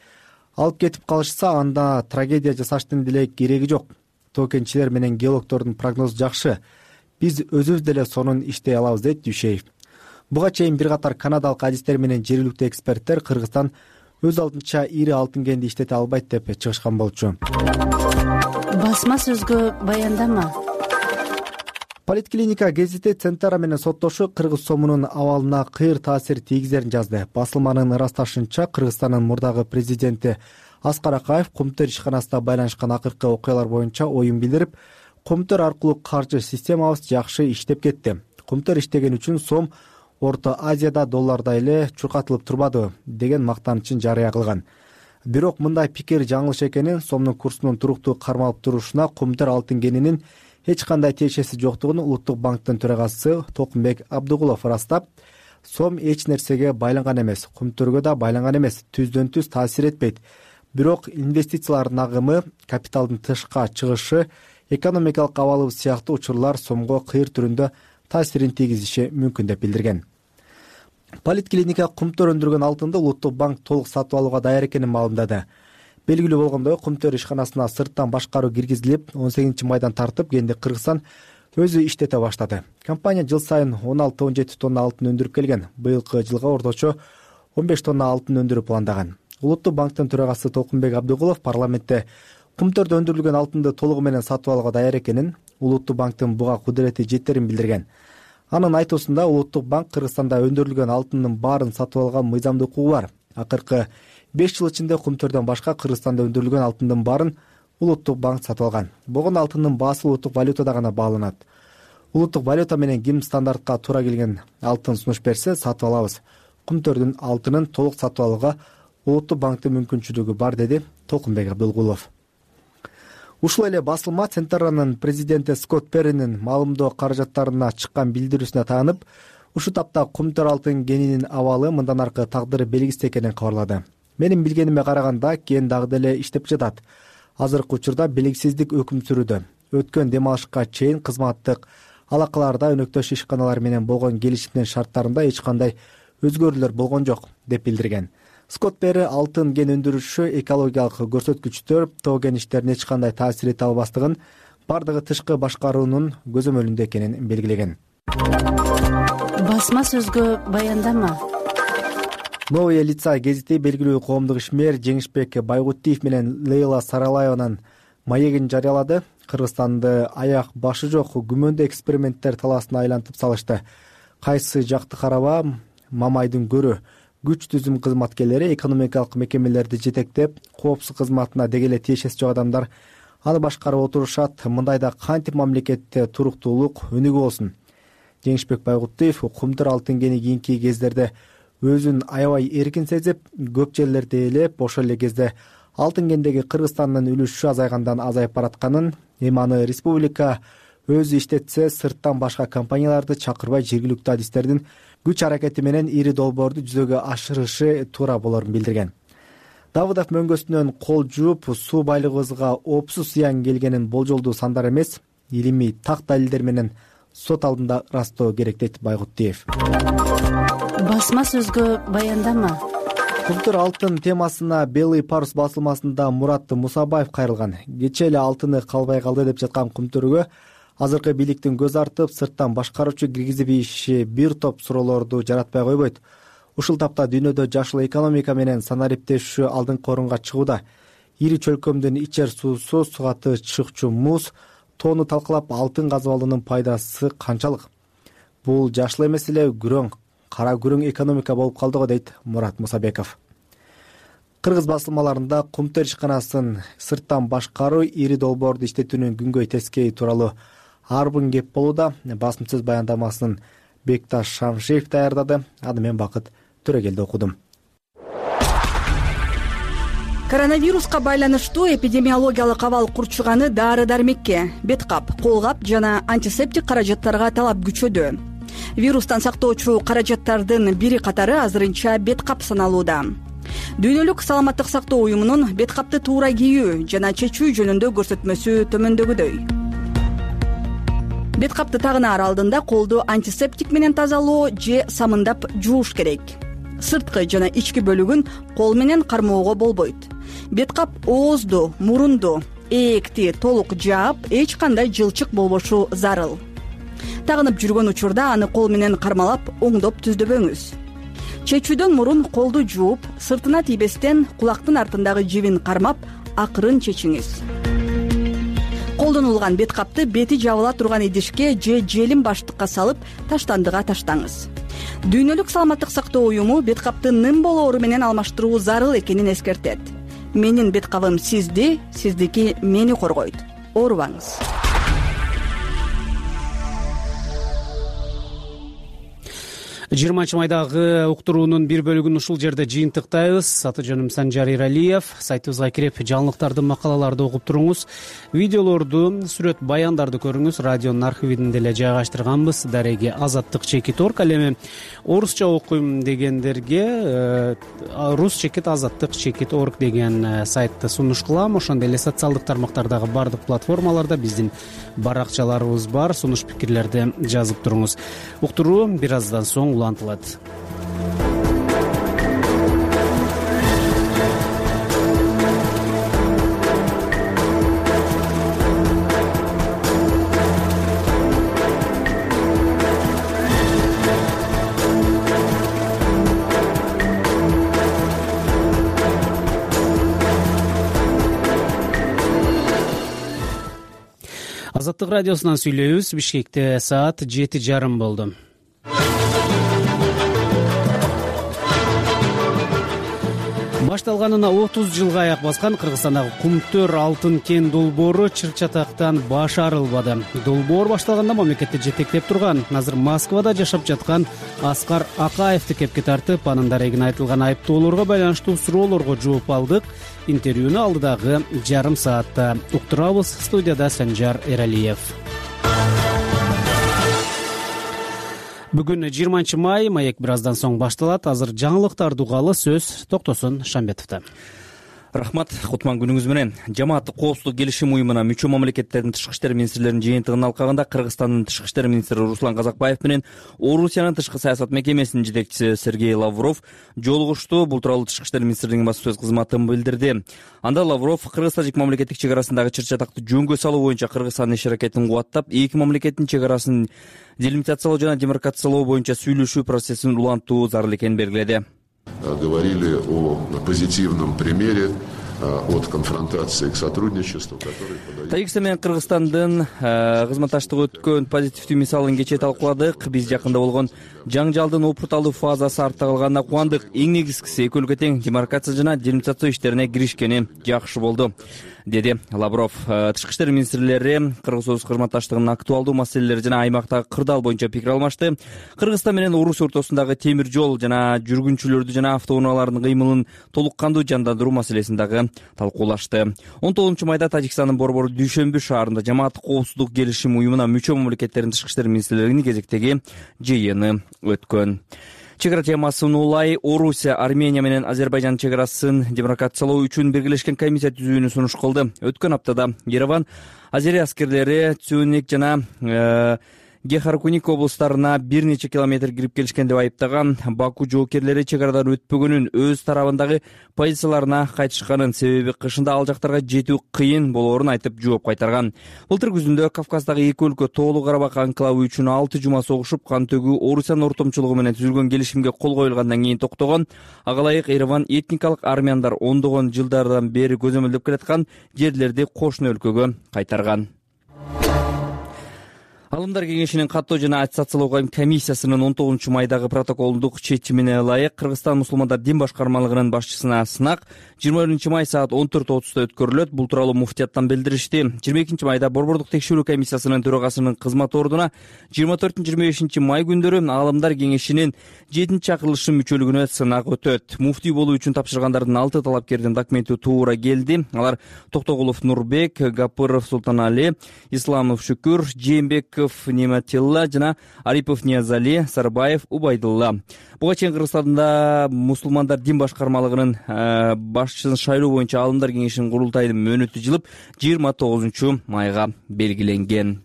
Алып кетип калышса, анда трагедия жасаштын деле кереги жок. Тоо кенчилер менен геологдордун прогнозу жакшы. Биз өзүбүз деле сонун иштей алабыз дейт Дүйшеев. Буга чейин бир катар канадалык адистер менен жергиликтүү эксперттер Кыргызстан өз алдынча ири алтын кенди иштете албайт деп чыгышкан болчу. Басма сөзгө баяндама. Политклиника гезити Центара менен соттошу кыргыз сомунун абалына кыйыр таасир тийгизерин жазды. Басылманын ырасташынча, Кыргызстандын мурдагы президенти Аскар Акаев Кумтөр ишканасында байланышкан акыркы окуялар боюнча оюн билдирип, Кумтөр аркылуу каржы системабыз жакшы иштеп кетти. Кумтөр иштеген үчүн сом Орто Азияда долларда эле чуркатылып турбады деген мактанычын жарыя кылган. Бирок мындай пикир жаңылыш экенин, сомдун курсунун туруктуу кармалып турушуна Кумтөр алтын кенинин эч кандай тиешеси жоктугун Улуттук банктын төрагасы Токумбек Абдыгулов ырастап, сом эч нерсеге байланган эмес, кумтөргө да байланган эмес, түздөн түз таасир этпейт. Бирок инвестициялардын агымы, капиталдын тышка чыгышы, экономикалык абалыбыз сыяктуу учурлар сомго кыйыр түрүндө таасирин тийгизиши мүмкүн деп билдирген. Политклиника кумтөр өндүргөн алтынды Улуттук банк толук сатып алууга даяр экенин маалымдады. Белгилүү болгондой, кумтөр ишканасына сырттан башкаруу киргизилип, 18 майдан тартып кийинди Кыргызстан өзү иштете баштады. Компания жыл сайын 16-17 тонна алтын өндүрүп келген. Быйылкы жылга орточо 15 тонна алтын өндүрүү пландаган. Улуттук банктын төрагасы Токумбек Абдыгулов парламентте кумтөрдө өндүрүлгөн алтынды толугу менен сатып алууга даяр экенин, Улуттук банктын буга кудурети жетерин билдирген. Анын айтуусунда Улуттук банк Кыргызстанда өндүрүлгөн алтындын баарын сатып алган мыйзамдык укугу бар. Акыркы 5 жыл ичинде кумтөрдөн башка Кыргызстанда өндүрүлгөн алтындын баарын Улуттук банк сатып алган. Болгондо алтындын баасы улуттук валютада гана бааланат. Улуттук валюта менен ким стандартка туура келген алтын сунуш берсе, сатып алабыз. Кумтөрдүн алтынын толук сатып алууга Улуттук банктын мүмкүнчүлүгү бар, деди Токумбек Абдыгулов. Ушул эле басылма Центранын президенти Скотт Перринин маалымдоо каражаттарына чыккан билдирүүсүнө таанып, ушу тапта кумтөр алтын кенинин абалы мындан аркы тагдыры белгисиз экенин кабарлады. Менин билгениме караганда, кен дагы деле иштеп жатат. Азыркы учурда белгисиздик өкүм сүрүүдө. Өткөн дем алышка чейин кызматтык алакаларда өнөктөш ишканалар менен болгон келишимдин шарттарында эч кандай өзгөрүүлөр болгон жок, деп билдирген. Скотт Перри алтын кен өндүрүшү экологиялык көрсөткүчтөр тоо кеништерине эч кандай таасир эте албастыгын, бардыгы тышкы башкаруунун көзөмөлүндө экенин белгилеген. Басма сөзгө баяндама. Новые лица гезити белгилүү коомдук ишмер Жеңишбек Байгутиев менен Лейла Саралаеванын маегин жарыялады. Кыргызстанды аяк башы жок күмөндүү эксперименттер талаасына айлантып салышты. Кайсы жакты караба, Мамайдын көрү күч түзүм кызматкерлери экономикалык мекемелерди жетектеп, коопсуз кызматына деги эле тиешеси жок адамдар аны башкарып отурушат. Мындайда кантип мамлекетте туруктуулук өнүгүү болсун? Жеңишбек Байгутиев кумтөр алтын кени кийинки кездерде өзүн аябай эркин сезип, көп жерлерди ээлеп, ошол эле кезде алтын кендеги Кыргызстандын үлүшү азайгандан азайып баратканын, эми аны республика өзү иштетсе, сырттан башка компанияларды чакырбай жергиликтүү адистердин күч аракети менен ири долбоорду жүзөгө ашырышы туура болорун билдирген. Давыдов мөңгөсүнөн кол жууп, суу байлыгыбызга опсуз зыян келгенин болжолдуу сандар эмес, илимий так далилдер менен сот алдында ырастоо керек, дейт Байгутиев. Басма сөзгө баяндама. Кумтөр алтын темасына Белый парус басылмасында Мурат Мусабаев кайрылган. Кечээ эле алтыны калбай калды деп жаткан кумтөргө азыркы бийликтин көз артып, сырттан башкаруучу киргизип ийиши бир топ суроолорду жаратпай койбойт. Ушул тапта дүйнөдө жашыл экономика менен санариптешүү алдыңкы орунга чыгууда. Ири чөлкөмдүн ичер суусу, сугаты чыкчу муз, тоону талкалап, алтын казып алуунун пайдасы канчалык? Бул жашыл эмес эле күрөң, кара күрөң экономика болуп калды го, дейт Мурат Мусабеков. Кыргыз басылмаларында кумтөр ишканасын сырттан башкаруу, ири долбоорду иштетүүнүн күнгөй тескейи тууралуу арбын кеп болууда. Басым сөз баяндамасын Бекташ Шамшиев даярдады. Аны мен Бакыт Төрөгелди окудум. Коронавируска байланыштуу эпидемиологиялык абал курчуганы дары-дармекке, бет кап, кол кап жана антисептик каражаттарга талап күчөдү. Вирустан сактоочу каражаттардын бири катары азырынча бет кап саналууда. Дүйнөлүк саламаттык сактоо уюмунун бет капты туура кийүү жана чечүү жөнүндө көрсөтмөсү төмөндөгүдөй. Бет капты тагынаар алдында колду антисептик менен тазалоо же самындап жууш керек. Сырткы жана ички бөлүгүн кол менен кармоого болбойт. Бет кап оозду, мурунду, ээкти толук жаап, эч кандай жылчык болбошу зарыл. Тагынып жүргөн учурда аны кол менен кармалап, оңдоп түздөбөңүз. Чечүүдөн мурун колду жууп, сыртына тийбестен кулактын артындагы жибин кармап, акырын чечиңиз. Колдонулган бет капты бети жабыла турган идишке же желим баштыкка салып, таштандыга таштаңыз. Дүйнөлүк саламаттык сактоо уюму бет капты нын болоору менен алмаштыруу зарыл экенин эскертет. Менин бет кабым сизди, сиздики мени коргойт. Оорубаңыз. 20 майдагы уктуруунун бир бөлүгүн ушул жерде жыйынтыктайбыз. Аты жөнүм Санжар Иралиев. Сайтыбызга кирип жаңылыктарды, макалаларды окуп туруңуз. Видеолорду, сүрөт баяндарды көрүңүз. Радионун архивин деле жайгаштырганбыз. Дареги azattik.org. Ал эми орусча окуйм дегендерге rus-azattik.org деген сайтты сунуш кылам. Ошондой эле социалдык тармактардагы бардык платформаларда биздин баракчаларыбыз бар. Сунуш пикирлерди жазып туруңуз. Уктуруу бир аздан соң улантылат. Азаттык радиосунан сүйлөйбүз. Бишкекте саат 7:30 болду. Башталганына 30 жылга аяк баскан Кыргызстандагы Кумтөр алтын кен долбоору чыр-чатактан баш арылбады. Долбоор башталганда мамлекетти жетектеп турган, азыр Москвада жашап жаткан Аскар Акаевди кепке тартып, анын дарегине айтылган айыптоолорго байланыштуу суроолорго жооп алдык. Интервьюну алдыдагы жарым саатта уктурабыз. Студияда Санжар Эралиев. Бүгүн 20 май, маек бир аздан соң башталат. Азыр жаңылыктарды угалы, сөз Токтосун Шамбетовдо. Рахмат, кутман күнүңүз менен. Жамааттык коопсуздук келишим уюмуна мүчө мамлекеттердин тышкы иштер министрлеринин жыйынтыгынын алкагында Кыргызстандын тышкы иштер министри Руслан Казакбаев менен Орусиянын тышкы саясат мекемесинин жетекчиси Сергей Лавров жолугушту. Бул тууралуу тышкы иштер министрлигинин басма сөз кызматы билдирди. Анда Лавров Кыргыз-Тажик мамлекеттик чек арасындагы чыр-чатакты жөнгө салуу боюнча Кыргызстандын иш-аракетин кубаттап, эки мамлекеттин чек арасын делимитациялоо жана демаркациялоо боюнча сүйлөшүү процессин улантуу зарыл экенин белгиледи. Говорили о позитивном примере от конфронтации к сотрудничеству, который подает. Тажикстан менен Кыргызстандын кызматташтыгы өткөн позитивдүү мисалын кечээ талкууладык. Биз жакында болгон жаңжалдын опурталуу фазасы артта калганына кубандык. Эң негизгиси экөөлгө тең демаркация жана делимитация иштерине киришкени жакшы болду, деди Лавров. Тышкы иштер министрлери Кыргыз-Орус кызматташтыгынын актуалдуу маселелери жана аймактагы кырдаал боюнча пикир алмашты. Кыргызстан менен Орусия ортосундагы темир жол жана жүргүнчүлөрдү жана автоунаалардын кыймылын толук кандуу жандандыруу маселесин дагы талкуулашты. 19 майда Тажикстандын Борбор Дүйшөмбү шаарында жамааттык коопсуздук келишим уюмуна мүчө мамлекеттердин тышкы иштер министрлеринин кезектеги жыйыны өткөн. Чек ара темасын улай Орусия, Армения менен Азербайжан чек арасын демаркациялоо үчүн биргелешкен комиссия түзүүнү сунуш кылды. Өткөн аптада Ереван Азери аскерлери Цюник жана Гехаркуник облустарына бир нече километр кирип келишкен деп айыптаган. Баку жоокерлери чек арадан өтпөгөнүн, өз тарабындагы позицияларына кайтышканын, себеби кышында ал жактарга жетүү кыйын болоорун айтып жооп кайтарган. Былтыр күзүндө Кавказдагы эки өлкө Тоолуу Карабак анклавы үчүн 6 жума согушуп, кан төгүү Орусиянын ортомчулугу менен түзүлгөн келишимге кол коюлгандан кийин токтогон. Ага ылайык Ереван этникалык армяндар ондогон жылдардан бери көзөмөлдөп келаткан жерлерди кошуна өлкөгө кайтарган. Алымдар кеңешинин каттоо жана аттестациялоо комиссиясынын 19 майдагы протоколдук чечимине ылайык Кыргызстан мусулмандар дин башкармалыгынын башчысына сынак 20 май саат 14:30 өткөрүлөт. Бул тууралуу муфтияттан билдиришти. 22 майда Борбордук текшерүү комиссиясынын төрагасынын кызмат ордуна 24-25 май күндөрү Алымдар кеңешинин 7-чакырылышы мүчөлүгүнө сынак өтөт. Муфтий болуу үчүн тапшыргандардын 6 талапкердин документи туура келди. Алар Токтогулов Нурбек, Гапыров Султанали, Исламов Шүкүр, Жээнбеков Нематилла жана Арипов Ниязали, Сарбаев Убайдулла. Буга чейин Кыргызстанда мусулмандар дин башкармалыгынын башчысын шайлоо боюнча Алымдар кеңешинин курултайынын мөөнөтү жылып 29 майга белгиленген.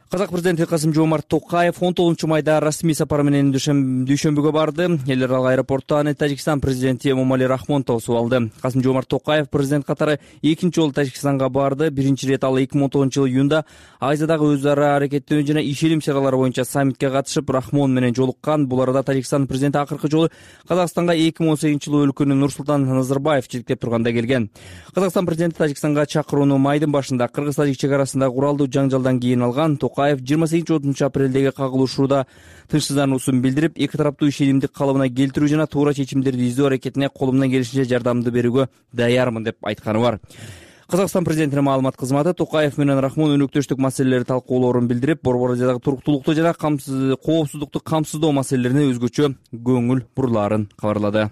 Казак президенти Касым-Жомарт Токаев 19 майда расмий сапар менен Дүйшөмбүгө барды. Эл аралык аэропортто аны Тажикстан президенти Эмомали Рахмон тосуп алды. Касым-Жомарт Токаев президент катары экинчи жолу Тажикстанга барды. Биринчи ирет ал 2019 жылы июнда Азиядагы өз ара аракеттөө жана ишеним чаралары боюнча саммитке катышып, Рахмон менен жолуккан. Бул арада Тажикстан президенти акыркы жолу Казакстанга 2018 жылы өлкөнү Нурсултан Назарбаев жетектеп турганда келген. Казакстан президенти Тажикстанга чакырууну майдын башында Кыргыз-Тажик чек арасында куралдуу жаңжалдан кийин алган. 28 апрелдеги кагылышууда тынчсыздануусун билдирип, эки тараптуу ишенимди калыбына келтирүү жана туура чечимдерди издөө аракетине колумдан келишинче жардамды берүүгө даярмын деп айтканы бар. Казакстан президентинин маалымат кызматы Токаев менен Рахмон өнөктөштүк маселелери талкуулоорун билдирип, Борбор Азиядагы туруктуулукту жана коопсуздукту камсыздоо маселелерине өзгөчө көңүл бурулаарын кабарлады.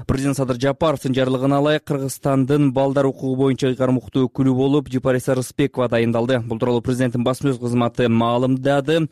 Президент Садыр Жапаровдун жарлыгына ылайык Кыргызстандын балдар укугу боюнча ыйгарым укуктуу өкүлү болуп Жипариса Рыспекова дайындалды. Бул тууралуу президенттин басма сөз кызматы маалымдады.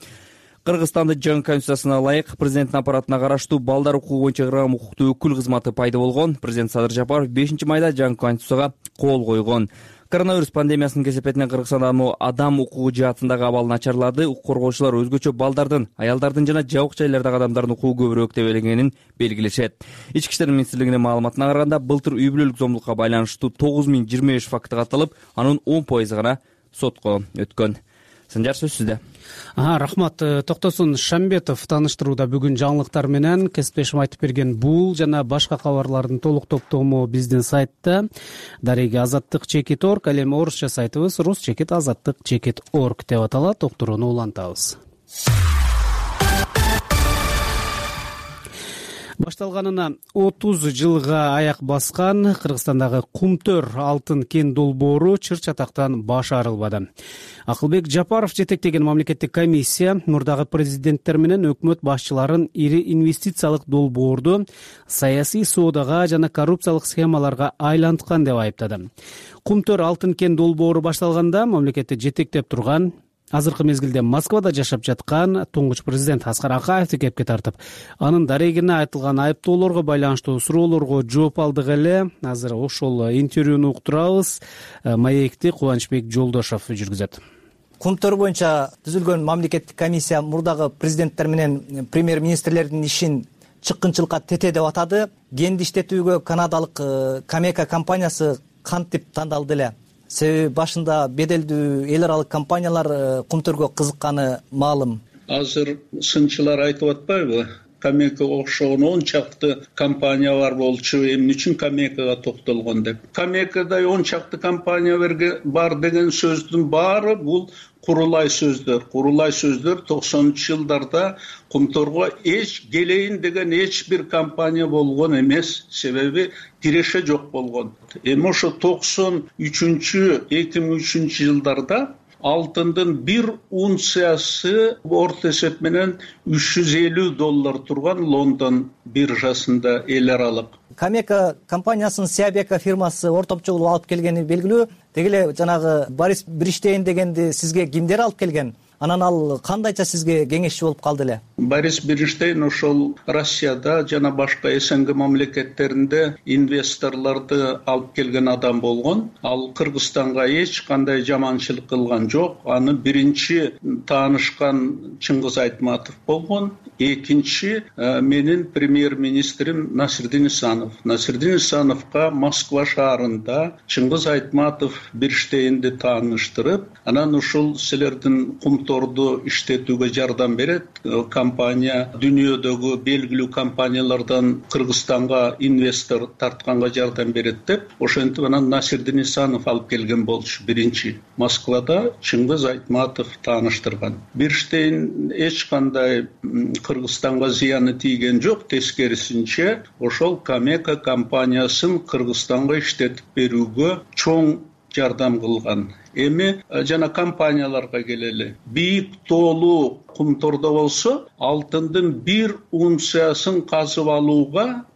Кыргызстандын жаңы конституциясына ылайык президенттин аппаратына караштуу балдар укугу боюнча ыйгарым укуктуу өкүл кызматы пайда болгон. Президент Садыр Жапаров 5-майда жаңы конституцияга кол койгон. Коронавирус пандемиясынын кесепетинен Кыргызстандын адам укугу жаатындагы абалы начарлады. Укук коргоочулар өзгөчө балдардын, аялдардын жана жабык жайлардагы адамдардын укугу көбүрөөк тебеленгенин белгилешет. Ички иштер министрлигинин маалыматына караганда, былтыр үй бүлөлүк зомбулукка байланыштуу 9025 факты катталып, анын 10% гана сотко өткөн. Санжар, сөз сизде. Рахмат. Токтосун Шамбетов тааныштырууда бүгүн жаңылыктар менен кесиптешим айтып берген бул жана башка кабарлардын толук топтому биздин сайтта дареги azattik.org, ал эми орусча сайтыбыз rus-azattik.org деп аталат. Уктурууну улантабыз. Башталганына 30 жылга аяк баскан Кыргызстандагы Кумтөр алтын кен долбоору чыр-чатактан баш арылбады. Акылбек Жапаров жетектеген мамлекеттик комиссия мурдагы президенттер менен өкмөт башчыларын ири инвестициялык долбоорду саясий соодага жана коррупциялык схемаларга айланткан деп айыптады. Кумтөр алтын кен долбоору башталганда мамлекетти жетектеп турган, азыркы мезгилде Москвада жашап жаткан туңгуч президент Аскар Акаевди кепке тартып, анын дарегине айтылган айыптоолорго байланыштуу суроолорго жооп алдык эле. Азыр ошол интервьюну уктурабыз. Маекти Кубанычбек Жолдошов жүргүзөт. Кумтөр боюнча түзүлгөн мамлекеттик комиссия мурдагы президенттер менен премьер-министрлердин ишин чыккынчылыкка тете деп атады. Кенди иштетүүгө канадалык Камека компаниясы кантип тандалды эле? Себеби башында беделдүү эл аралык компаниялар Кумтөргө кызыкканы маалым. Азыр сынчылар айтып атпайбы? Камека окшогон 10 чакты компания бар болчу, эмне үчүн Камекага токтолгон деп. Камекада 10 чакты компания бар деген сөздүн баары бул курулай сөздөр. Курулай сөздөр 90-жылдарда Кумтөргө келейин деген эч бир компания болгон эмес, себеби киреше жок болгон. Эми ошо 2003 жылдарда алтындын 1 унциясы орто эсеп менен $350 турган Лондон биржасында эл аралык. Камека компаниясынын Сиабека фирмасы ортопчолуп алып келгени белгилүү. Деги эле жанагы Борис Бриштейн дегенди сизге кимдер алып келген? Анан ал кандайча сизге кеңешчи болуп калды эле? Борис Бриштейн ошол Россияда жана башка СНГ мамлекеттеринде инвесторлорду алып келген адам болгон. Ал Кыргызстанга эч кандай жаманчылык кылган жок. Аны биринчи таанышкан Чыңгыз Айтматов болгон. Экинчи менин премьер-министрим Насирдин Исанов. Насирдин Исановго Москва шаарында Чыңгыз Айтматов Бриштейнди тааныштырып, анан ушул силердин Кумторду иштетүүгө жардам берет. Компания дүйнөдөгү белгилүү компаниялардан Кыргызстанга инвестор тартканга жардам берет деп, ошентип анан Насирдин Исанов алып келген болчу биринчи. Москвада Чыңгыз Айтматов тааныштырган. Бриштейн эч кандай Кыргызстанга зыяны тийген жок, тескерисинче ошол Камека компаниясын Кыргызстанга иштетип берүүгө чоң жардам кылган. Эми жана компанияларга келели. Бийик тоолуу Кумтордо болсо, алтындын 1 унциясын казып алуу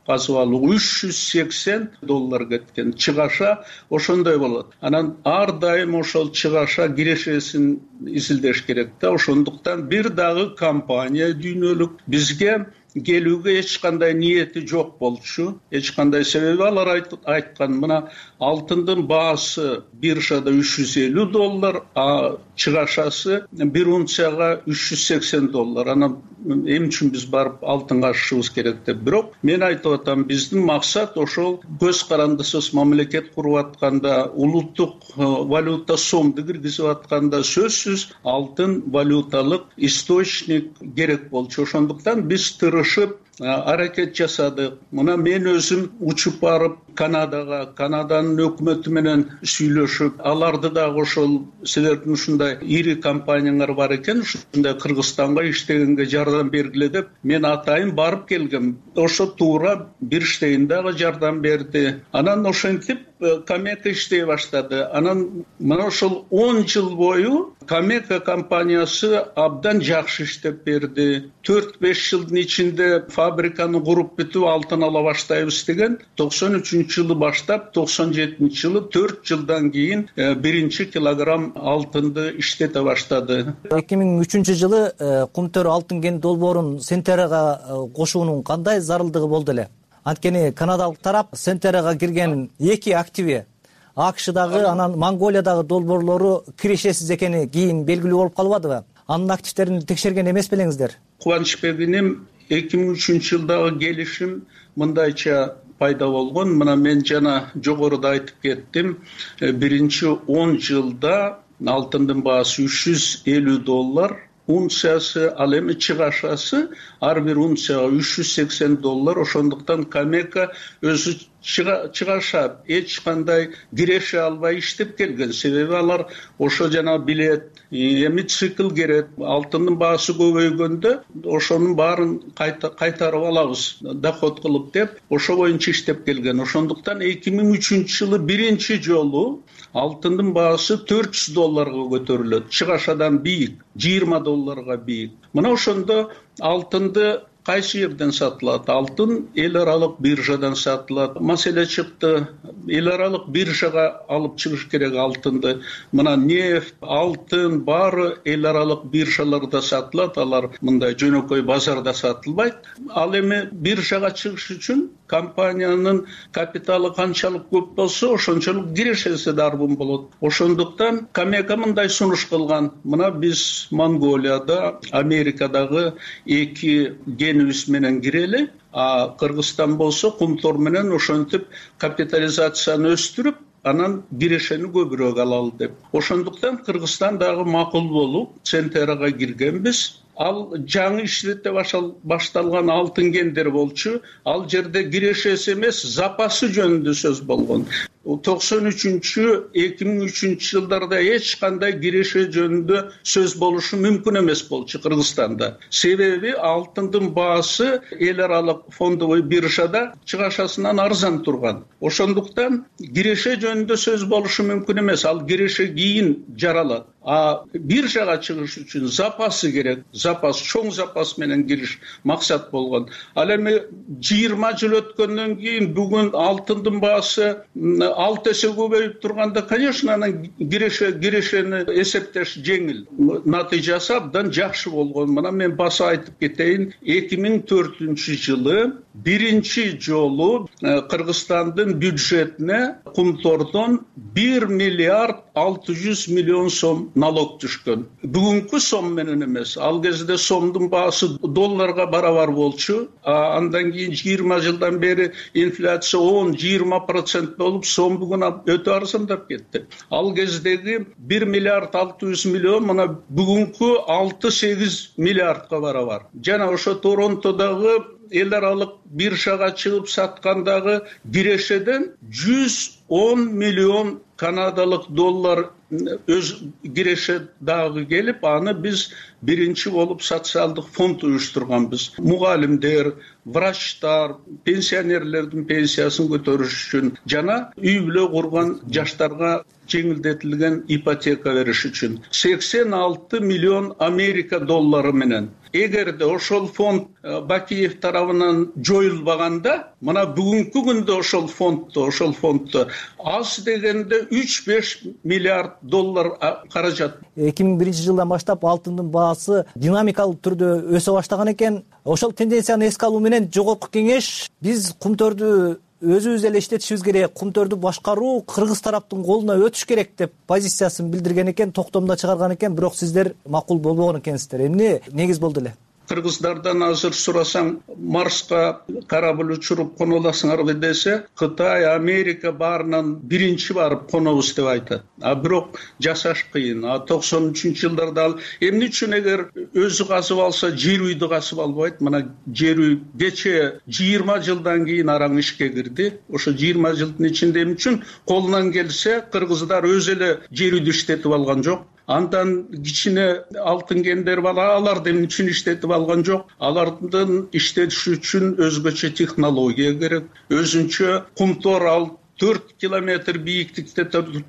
$380 кеткен. Чыгаша ошондой болот. Анан ар дайым ошол чыгаша кирешесин изилдеш керек да. Ошондуктан бир дагы компания дүйнөлүк бизге келүүгө эч кандай ниети жок болчу. Эч кандай себеби алар айткан, мына алтындын баасы биржада $350, а чыгашасы 1 унцияга $380. Анан эмне үчүн биз барып алтынга ашышыбыз керек деп. Бирок мен айтып атам, биздин максат ошол көз карандысыз мамлекет куруп атканда, улуттук валюта сомду киргизип атканда сөзсүз алтын валюталык источник керек болчу. Ошондуктан биз тырышып аракет жасадык. Мына мен өзүм учуп барып Канаданын өкмөтү менен сүйлөшүп, аларды дагы ошол силердин ушундай ири компаниялар бар экен, ушундай Кыргызстанга иштегенге жардам бергиле деп мен атайын барып келгем. Ошо туура Бирштейн дагы жардам берди. Анан ошентип Камека иштей баштады. Анан мына ошол 10 жыл бою Камека компаниясы абдан жакшы иштеп берди. 4-5 жылдын ичинде фабриканы куруп бүтүп алтын ала баштайбыз деген 93-жылы баштап 97-жылы 4 жылдан кийин 1 килограмм алтынды иштете баштады. 2003-жылы Кумтөр алтын кен долбоорун Сентерага кошуунун кандай зарылдыгы болду эле? Анткени канадалык тарап Сентерага кирген 2 активи АКШдагы анан Монголиядагы долбоорлору кирешесиз экени кийин белгилүү болуп калбадыбы? Анын активдерин текшерген эмес белеңиздер? Кубанычбек иним 2003-жылдагы келишим мындайча пайда болгон. Мына мен жана жогоруда айтып кеттим. Биринчи 10 жылда алтындын баасы $350, унциясы, ал эми чыгашасы ар бир унцияга $380. Ошондуктан Камека өзү чыгашат, эч кандай киреше албай иштеп келген. Себеби алар ошо жана билет, эми цикл керек. Алтындын баасы көбөйгөндө ошонун баарын кайтарып алабыз, доход кылып деп, ошо боюнча иштеп келген. Ошондуктан 2003-жылы биринчи жолу алтындын баасы $400 көтөрүлөт. Чыгашадан бийик, $20 бийик. Мына ошондо алтынды кайсы жерден сатылат? Алтын эл аралык биржадан сатылат. Маселе чыкты. Эл аралык биржага алып чыгыш керек алтынды. Мына нефть, алтын баары эл аралык биржаларда сатылат. Алар мындай жөнөкөй базарда сатылбайт. Ал эми биржага чыгыш үчүн компаниянын капиталы канчалык көп болсо, ошончолук кирешеси дарбын болот. Ошондуктан Камека мындай сунуш кылган. Мына биз Монголияда, Америкадагы 2 генибиз менен кирели, а Кыргызстан болсо Кумтор менен ошентип капитализацияны өстүрүп, анан кирешени көбүрөөк алалы деп. Ошондуктан Кыргызстан дагы макул болуп Центерага киргенбиз. Ал жаңы иштете башталган алтын кендер болчу. Ал жерде кирешеси эмес, запасы жөнүндө сөз болгон. 93-2003 жылдарда эч кандай киреше жөнүндө сөз болушу мүмкүн эмес болчу Кыргызстанда. Себеби алтындын баасы эл аралык фондовый биржада чыгашасынан арзан турган. Ошондуктан киреше жөнүндө сөз болушу мүмкүн эмес. Ал киреше кийин жаралат. А биржага чыгыш үчүн запасы керек. Запас, чоң запас менен кириш максат болгон. Ал эми 20 жыл өткөндөн кийин бүгүн алтындын баасы 6 эсе көбөйүп турганда, конечно, анан кирешени эсептеш жеңил. Натыйжасы абдан жакшы болгон. Мына мен баса айтып кетейин, 2004-жылы биринчи жолу Кыргызстандын бюджетине Кумтордон 1 миллиард 600 миллион сом налог түшкөн. Бүгүнкү сом менен эмес. Ал кезде сомдун баасы долларга барабар болчу. Андан кийин 20 жылдан бери инфляция 10-20% болуп, сом бүгүн өтө арзандап кетти. Ал кездеги 1 миллиард 600 миллион мына бүгүнкү 6-8 миллиардга барабар. Жана ошо Торонтодогу эл аралык биржага чыгып саткандагы кирешеден 110 миллион канадалык доллар өз киреше дагы келип, аны биз биринчи болуп социалдык фонд уюштурганбыз. Мугалимдер, врачтар, пенсионерлердин пенсиясын көтөрүш үчүн жана үй бүлө курган жаштарга жеңилдетилген ипотека бериш үчүн 86 миллион Америка доллары менен. Эгерде ошол фонд Бакиев тарабынан жоюлбаганда, мына бүгүнкү күндө ошол фонддо аз дегенде 3-5 миллиард доллар каражат. 2001-жылдан баштап алтындын баасы динамикалык түрдө өсө баштаган экен. Ошол тенденцияны эске алуу менен жогорку кеңеш биз Кумтөрдү өзүбүз эле иштетишибиз керек, Кумтөрдү башкаруу Кыргыз тараптын колуна өтүш керек деп позициясын билдирген экен, токтомдо чыгарган экен, бирок сиздер макул болбогон экенсиздер. Эмне негиз болду эле? кыргыздардан азыр сурасаң, Марска корабль учуруп коно аласыңарбы десе, Кытай, Америка баарынан биринчи барып конобуз деп айтат. А бирок жасаш кыйын. 93-жылдарда ал эмне үчүн эгер өзү казып алса, жер үйдү казып албайт? Мына жер үй кече 20 жылдан кийин араң ишке кирди. Ошо 20 жылдын ичинде эмне үчүн колунан келсе кыргыздар өзү эле жер үйдү иштетип алган жок? Андан кичине алтын кендер бар, аларды эмне үчүн иштетип алган жок? Алардын иштетиши үчүн өзгөчө технология керек. Өзүнчө кумтор ал 4 километр бийиктикте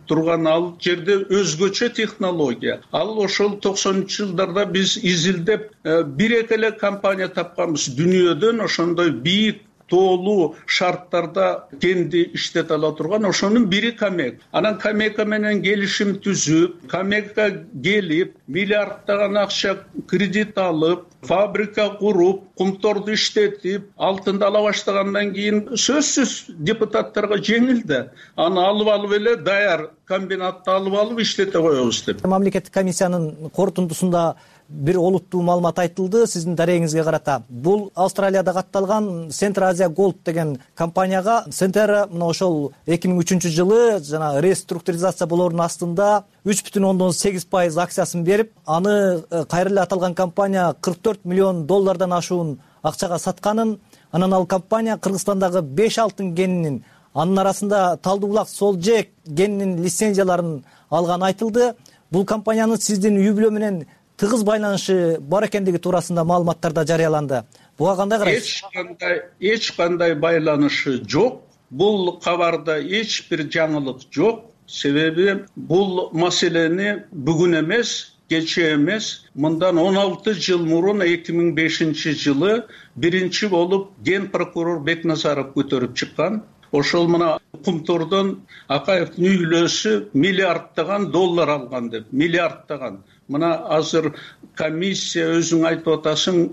турган ал жерде өзгөчө технология. Ал ошол 90-жылдарда биз изилдеп бир-эки эле компания тапканбыз дүйнөдөн ошондой бийик тоолуу шарттарда кенди иштете ала турган. Ошонун бири Камек. Анан Камека менен келишим түзүп, Камека келип, миллиарддаган акча кредит алып, фабрика куруп, кумторду иштетип, алтынды ала баштагандан кийин сөзсүз депутаттарга жеңил да. Аны алып эле даяр комбинатты алып иштете коебуз деп. Мамлекеттик комиссиянын корутундусунда бир олуттуу маалымат айтылды сиздин дарегиңизге карата. Бул Австралияда катталган Central Asia Gold деген компанияга Centera мына ошол 2003-жылы жана реструктуризация болоорунун астында 3,8% акциясын берип, аны кайра эле аталган компания $44 миллион ашуун акчага сатканын, анан ал компания Кыргызстандагы 5 алтын кенинин, анын арасында Талдуу булак Солжек кенинин лицензияларын алган айтылды. Бул компаниянын сиздин үй бүлө менен тыгыз байланышы бар экендиги туурасында маалыматтар да жарыяланды. Буга кандай карайсыз? Эч кандай байланышы жок. Бул кабарда эч бир жаңылык жок. Себеби бул маселени бүгүн эмес, кече эмес, мындан 16 жыл мурун 2005-жылы биринчи болуп ген прокурор Бекназаров көтөрүп чыккан. Ошол мына кумтордон Акаевдин үйлөөсү миллиарддаган доллар алган деп, миллиарддаган. Мына азыр комиссия өзүң айтып атасың,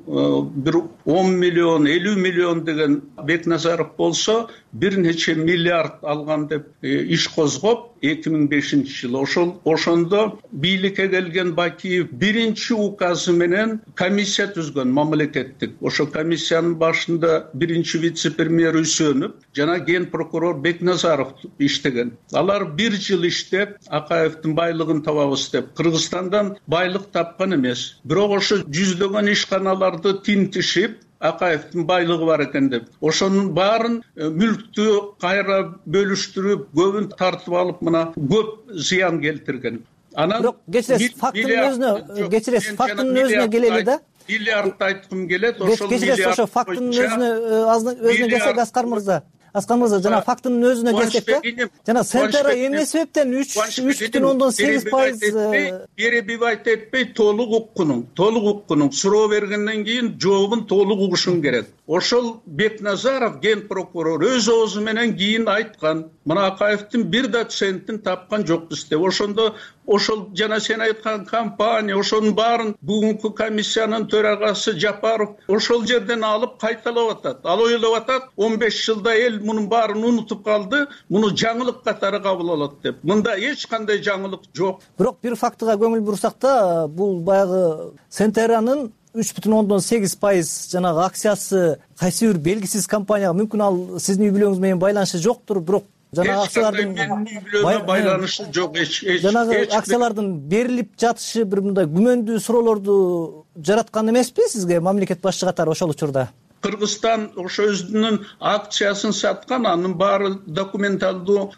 бир 10 миллион, 50 миллион деген Бекназаров болсо, бир нече миллиард алган деп иш козгоп 2005-жылы. Ошондо бийликке келген Бакиев биринчи указы менен комиссия түзгөн мамлекеттик. Ошо комиссиянын башында биринчи вице-премьер Үсөнов жана ген прокурор Бекназаров иштеген. Алар 1 жыл иштеп, Акаевдин байлыгын табабыз деп Кыргызстандан байлык тапкан эмес. Бирок ошо жүздөгөн ишканаларды тинтишип, Акаевдин байлыгы бар экен деп, ошонун баарын мүлктү кайра бөлүштүрүп, көбүн тартып алып, мына көп зыян келтирген. Анан бирок кечиресиз, фактынын өзүнө келели да. Миллиардты айткым келет, ошол кечиресиз, ошо фактынын өзүнө келсек, Аскар мырза, жана фактынын өзүнө келсек да, жана Centera эмне себептен 3,8% перебивать этпей толук уккунуң, суроо бергенден кийин жообун толук угушуң керек. Ошол Бекназаров ген прокурор өз оозу менен кийин айткан, мына Акаевдин 1 центтин тапкан жокпуз деп. Ошондо ошол жана сен айткан компания, ошонун баарын бүгүнкү комиссиянын төрагасы Жапаров ошол жерден алып кайталап атат. Ал ойлоп атат, 15 жылда эл мунун баарын унутуп калды, муну жаңылык катары кабыл алат деп. Мында эч кандай жаңылык жок. Бирок бир фактыга көңүл бурсак да, бул баягы Centera'нын 3,8% жанагы акциясы кайсы бир белгисиз компанияга, мүмкүн ал сиздин үй бүлөңүз менен байланышы жоктур, бирок жанагы акциялардын байланышы жок, жанагы акциялардын берилип жатышы бир мындай күмөндүү суроолорду жараткан эмеспи сизге мамлекет башчы катары ошол учурда? Кыргызстан ошо өзүнүн акциясын саткан, анын баары документалдуу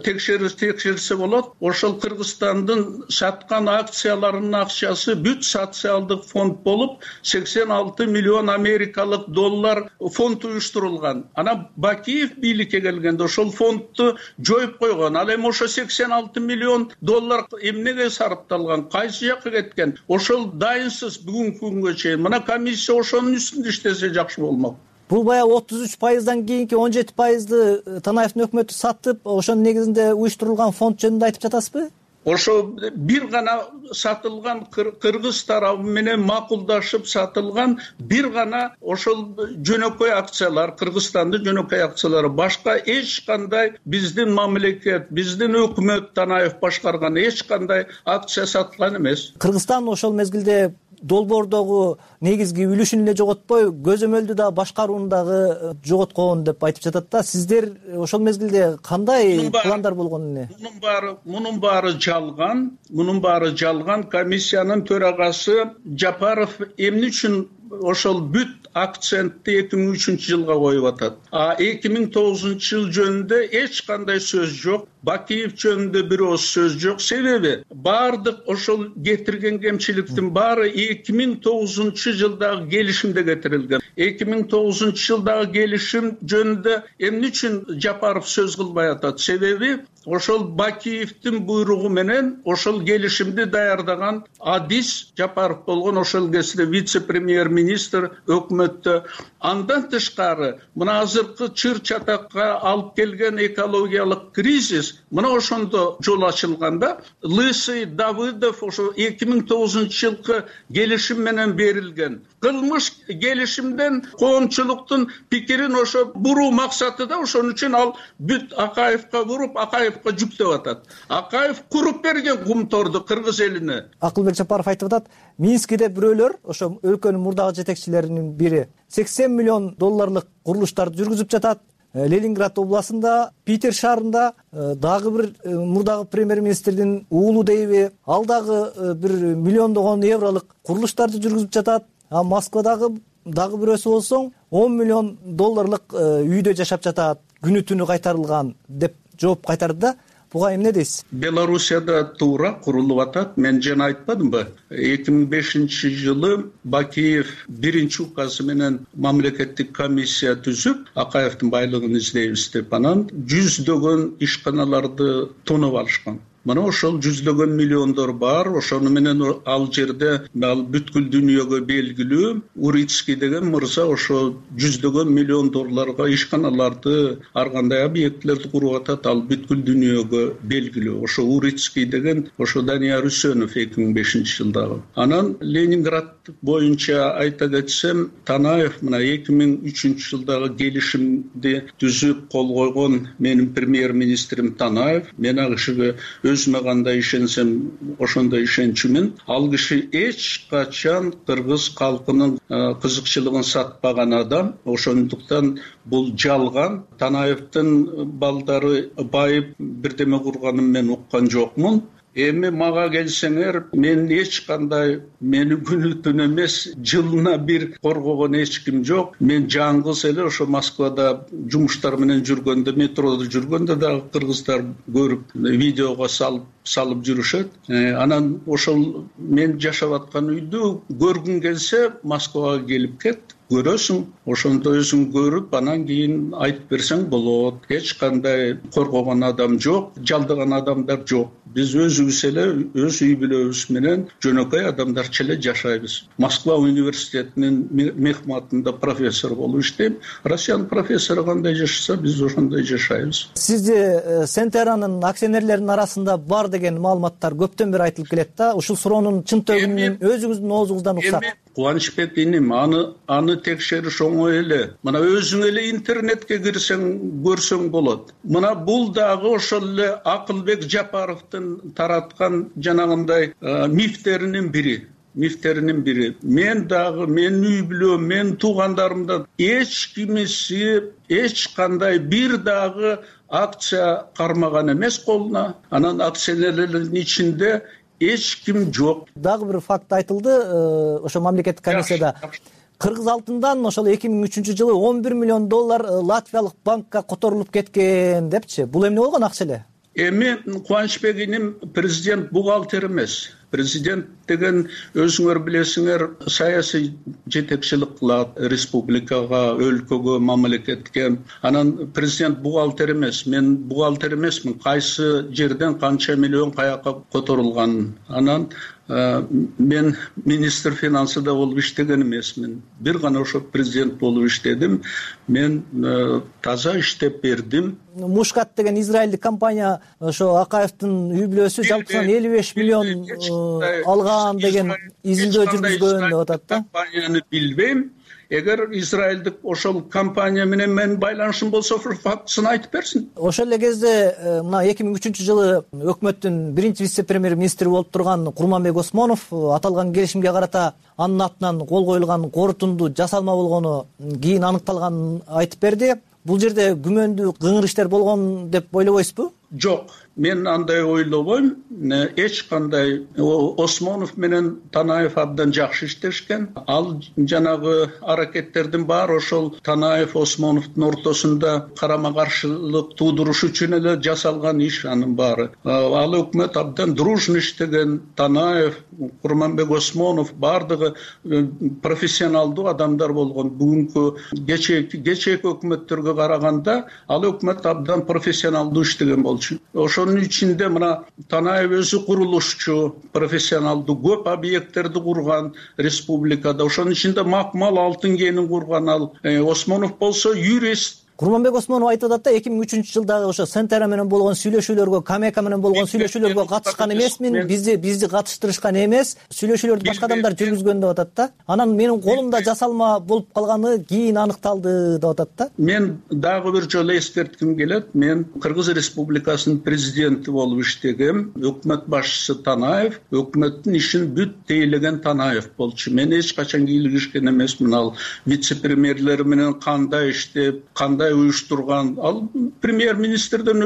текшерилсе болот. Ошол Кыргызстандын саткан акцияларынын акчасы бүт социалдык фонд болуп, 86 миллион америкалык доллар фонд уюштурулган. Анан Бакиев бийликке келгенде ошол фондду жоюп койгон. Ал эми ошо 86 миллион доллар эмнеге сарпталган, кайсы жакка кеткен? Ошол дайынсыз бүгүнкү күнгө чейин. Мына комиссия ошонун үстүндө иштесе жакшы. Бул баягы 33%дан кийинки 17%ды Танаевдин өкмөтү сатып, ошонун негизинде уюштурулган фонд жөнүндө айтып жатасызбы? Ошо бир гана сатылган, кыргыз тарабы менен макулдашып сатылган бир гана ошол жөнөкөй акциялар, Кыргызстандын жөнөкөй акциялары, башка эч кандай биздин мамлекет, биздин өкмөт Танаев башкарган эч кандай акция сатылган эмес. Кыргызстан ошол мезгилде долбоордогу негизги үлүшүн эле жоготпой, көзөмөлдү да башкарууну дагы жоготкон деп айтып жатат да. Сиздер ошол мезгилде кандай пландар болгон эле? Мунун баары жалган. Мунун баары жалган. Комиссиянын төрагасы Жапаров эмне үчүн ошол бүт акцентти 2003 жылга коюп атат. 2009 жыл жөнүндө эч кандай сөз жок. Бакиев жөнүндө бир ооз сөз жок. Себеби баардык ошол кетирген кемчиликтин баары 2009 жылдагы келишимде кетирилген. 2009 жылдагы келишим жөнүндө эмне үчүн Жапаров сөз кылбай атат? Себеби ошол Бакиевдин буйругу менен ошол келишимди даярдаган Адис Жапаров болгон, ошол кезде вице-премьер-министр өкмөттө. Андан тышкары мына азыркы чыр-чатакка алып келген экологиялык кризис мына ошондо жол ачылганда Лысый, Давыдов ошо 2009 жылкы келишим менен берилген. Кылмыш келишимден коомчулуктун пикирин ошо буруу максаты да, ошон үчүн ал бүт Акаевка буруп, Акаевка жүктөп атат. Акаев куруп берген кумторду кыргыз элине. Акылбек Жапаров айтып атат, Минскиде бирөөлөр, ошо өлкөнүн мурдагы жетекчилеринин бири 80 миллион долларлык курулуштарды жүргүзүп жатат. Ленинград областында, Питер шаарында дагы бир мурдагы премьер-министрдин уулу дейби, ал дагы бир миллиондогон евролук курулуштарды жүргүзүп жатат. Москвадагы дагы бирөөсү болсоң 10 миллион долларлык үйдө жашап жатат, күнү түнү кайтарылган деп жооп кайтарды да. Буга эмне дейсиз? Белоруссияда туура курулуп атат. Мен жана айтпадымбы? 2005 жылы Бакиев биринчи указы менен мамлекеттик комиссия түзүп, Акаевдин байлыгын издейбиз деп, анан жүздөгөн ишканаларды тонуп алышкан. Мына ошол жүздөгөн миллиондор бар. Ошону менен ал жерде ал бүткүл дүйнөгө белгилүү Урицкий деген мырза ошо жүздөгөн миллион долларга ишканаларды, ар кандай объектилерди куруп атат. Ал бүткүл дүйнөгө белгилүү. Ошо Урицкий деген ошо Данияр Үсөнов 2005 жылдагы. Анан Ленинград боюнча айта кетсем, Танаев мына 2003 жылдагы келишимди түзүп кол койгон менин премьер-министрим Танаев. Мен ал кишиге өзүмө кандай ишенсем ошондой ишенчүмүн. Ал киши эч качан кыргыз калкынын кызыкчылыгын сатпаган адам. Ошондуктан бул жалган. Танаевдин балдары байып бирдеме курганын мен уккан жокмун. Эми мага келсеңер, мен эч кандай мени күнү түн эмес, жылына бир коргогон эч ким жок. Мен жаңгыз эле ошо Москвада жумуштар менен жүргөндө, метродо жүргөндө дагы кыргыздар көрүп, видеого салып жүрүшөт. Анан ошол мен жашап аткан үйдү көргүң келсе, Москвага келип кет. Көрөсүң, ошондо өзүң көрүп, анан кийин айтып берсең болот. Эч кандай коргогон адам жок, жалдаган адамдар жок. Биз өзүбүз эле өз үй бүлөбүз менен жөнөкөй адамдарча эле жашайбыз. Москва университетинин мехматында профессор болуп иштейм. Россиянын профессору кандай жашаса, биз ошондой жашайбыз. Сизде Сентеранын акционерлеринин арасында бар деген маалыматтар көптөн бери айтылып келет да. Ушул суроонун чын төгүнүн өзүңүздүн оозуңуздан уксак. Кубанычбек иним, аны текшериш оңой эле. Мына өзүң эле интернетке кирсең көрсөң болот. Мына бул дагы ошол эле Акылбек Жапаровдун тараткан жанагындай мифтеринин бири. Мен дагы, мен үй бүлөм, мен туугандарымдан эч кимиси эч кандай бир дагы акция кармаган эмес колуна. Анан акционерлердин ичинде эч ким жок. Дагы бир факт айтылды, ошо мамлекеттик комиссияда. Кыргыз алтындан ошол 2003 жылы 11 миллион доллар латвиялык банкка которулуп кеткен депчи. Бул эмне болгон акча эле? Эми Кубанычбек иним президент бухгалтер эмес. Президент деген өзүңөр билесиңер саясий жетекчилик кылат республикага, өлкөгө, мамлекетке. Анан президент бухгалтер эмес. Мен бухгалтер эмесмин. Кайсы жерден канча миллион каяка которулганын. Анан мен министр финансыда болуп иштеген эмесмин. Бир гана ошо президент болуп иштедим. Мен таза иштеп бердим. Мушкат деген израилдик компания ошо Акаевдин үй бүлөсү жалпысынан 55 миллион алган деген изилдөө жүргүзгөн деп атат да. Компанияны билбейм. эгер израилдик ошол компания менен менин байланышым болсо фактысын айтып берсин. Ошол эле кезде мына 2003-жылы өкмөттүн биринчи вице премьер министри болуп турган Курманбек Осмонов аталган келишимге карата анын атынан кол коюлган корутунду жасалма болгону кийин аныкталганын айтып берди. Бул жерде күмөндүү кыңыр иштер болгон деп ойлобойсузбу? Жок, мен андай ойлобойм. Эч кандай Осмонов менен Танаев абдан жакшы иштешкен. Ал жанагы аракеттердин баары ошол Танаев Осмоновдун ортосунда карама каршылык туудуруш үчүн эле жасалган иш анын баары. Ал өкмөт абдан дружно иштеген. Танаев, Курманбек Осмонов бардыгы профессионалдуу адамдар болгон. Бүгүнкү кечээки өкмөттөргө караганда ал өкмөт абдан профессионалдуу иштеген болчу. Ошонун ичинде мына Танаев өзү курулушчу, профессионалдуу көп объекттерди курган республикада. Ошонун ичинде Макмал алтын кенин курган ал. Осмонов болсо юрист. Курманбек Осмонов айтып атат да 2003-жылдагы ошо Сентера менен болгон сүйлөшүүлөргө, Камека менен болгон сүйлөшүүлөргө катышкан эмесмин, бизди катыштырышкан эмес, сүйлөшүүлөрдү башка адамдар жүргүзгөн деп атат да. Анан менин колумда жасалма болуп калганы кийин аныкталды деп атат да. Мен дагы бир жолу эскертким келет. Мен Кыргыз Республикасынын президенти болуп иштегем. Өкмөт башчысы Танаев, өкмөттүн ишин бүт тейлеген Танаев болчу. Мен эч качан кийлигишкен эмесмин. Ал вице-премьерлер менен кандай иштеп, кандай уюштурган. Ал премьер-министрдин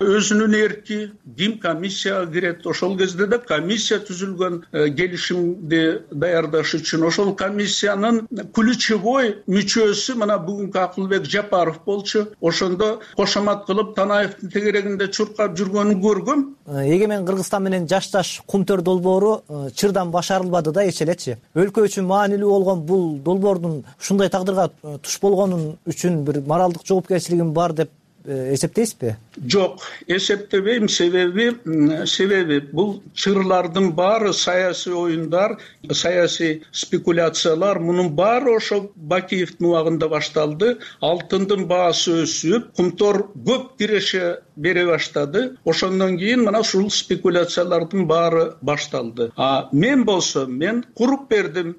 өзүнүн эрки, ким комиссияга кирет. Ошол кезде да комиссия түзүлгөн келишимди даярдаш үчүн. Ошол комиссиянын ключевой мүчөсү мына бүгүнкү Акылбек Жапаров болчу. Ошондо кошомат кылып Танаевдин тегерегинде чуркап жүргөнүн көргөм. Эгемен Кыргызстан менен жашташ Кумтөр долбоору чырдан башарылбады да эч элечи. Өлкө үчүн маанилүү болгон бул долбоордун ушундай тагдырга туш болгонун үчүн бир моралдык жоопкерчилигим бар деп эсептейсизби? Жок, эсептебейм. Себеби бул чырлардын баары саясий оюндар, саясий спекуляциялар, мунун баары ошо Бакиевдин убагында башталды. Алтындын баасы өсүп, Кумтор көп киреше бере баштады. Ошондон кийин мына ушул спекуляциялардын баары башталды. Мен болсо, мен куруп бердим.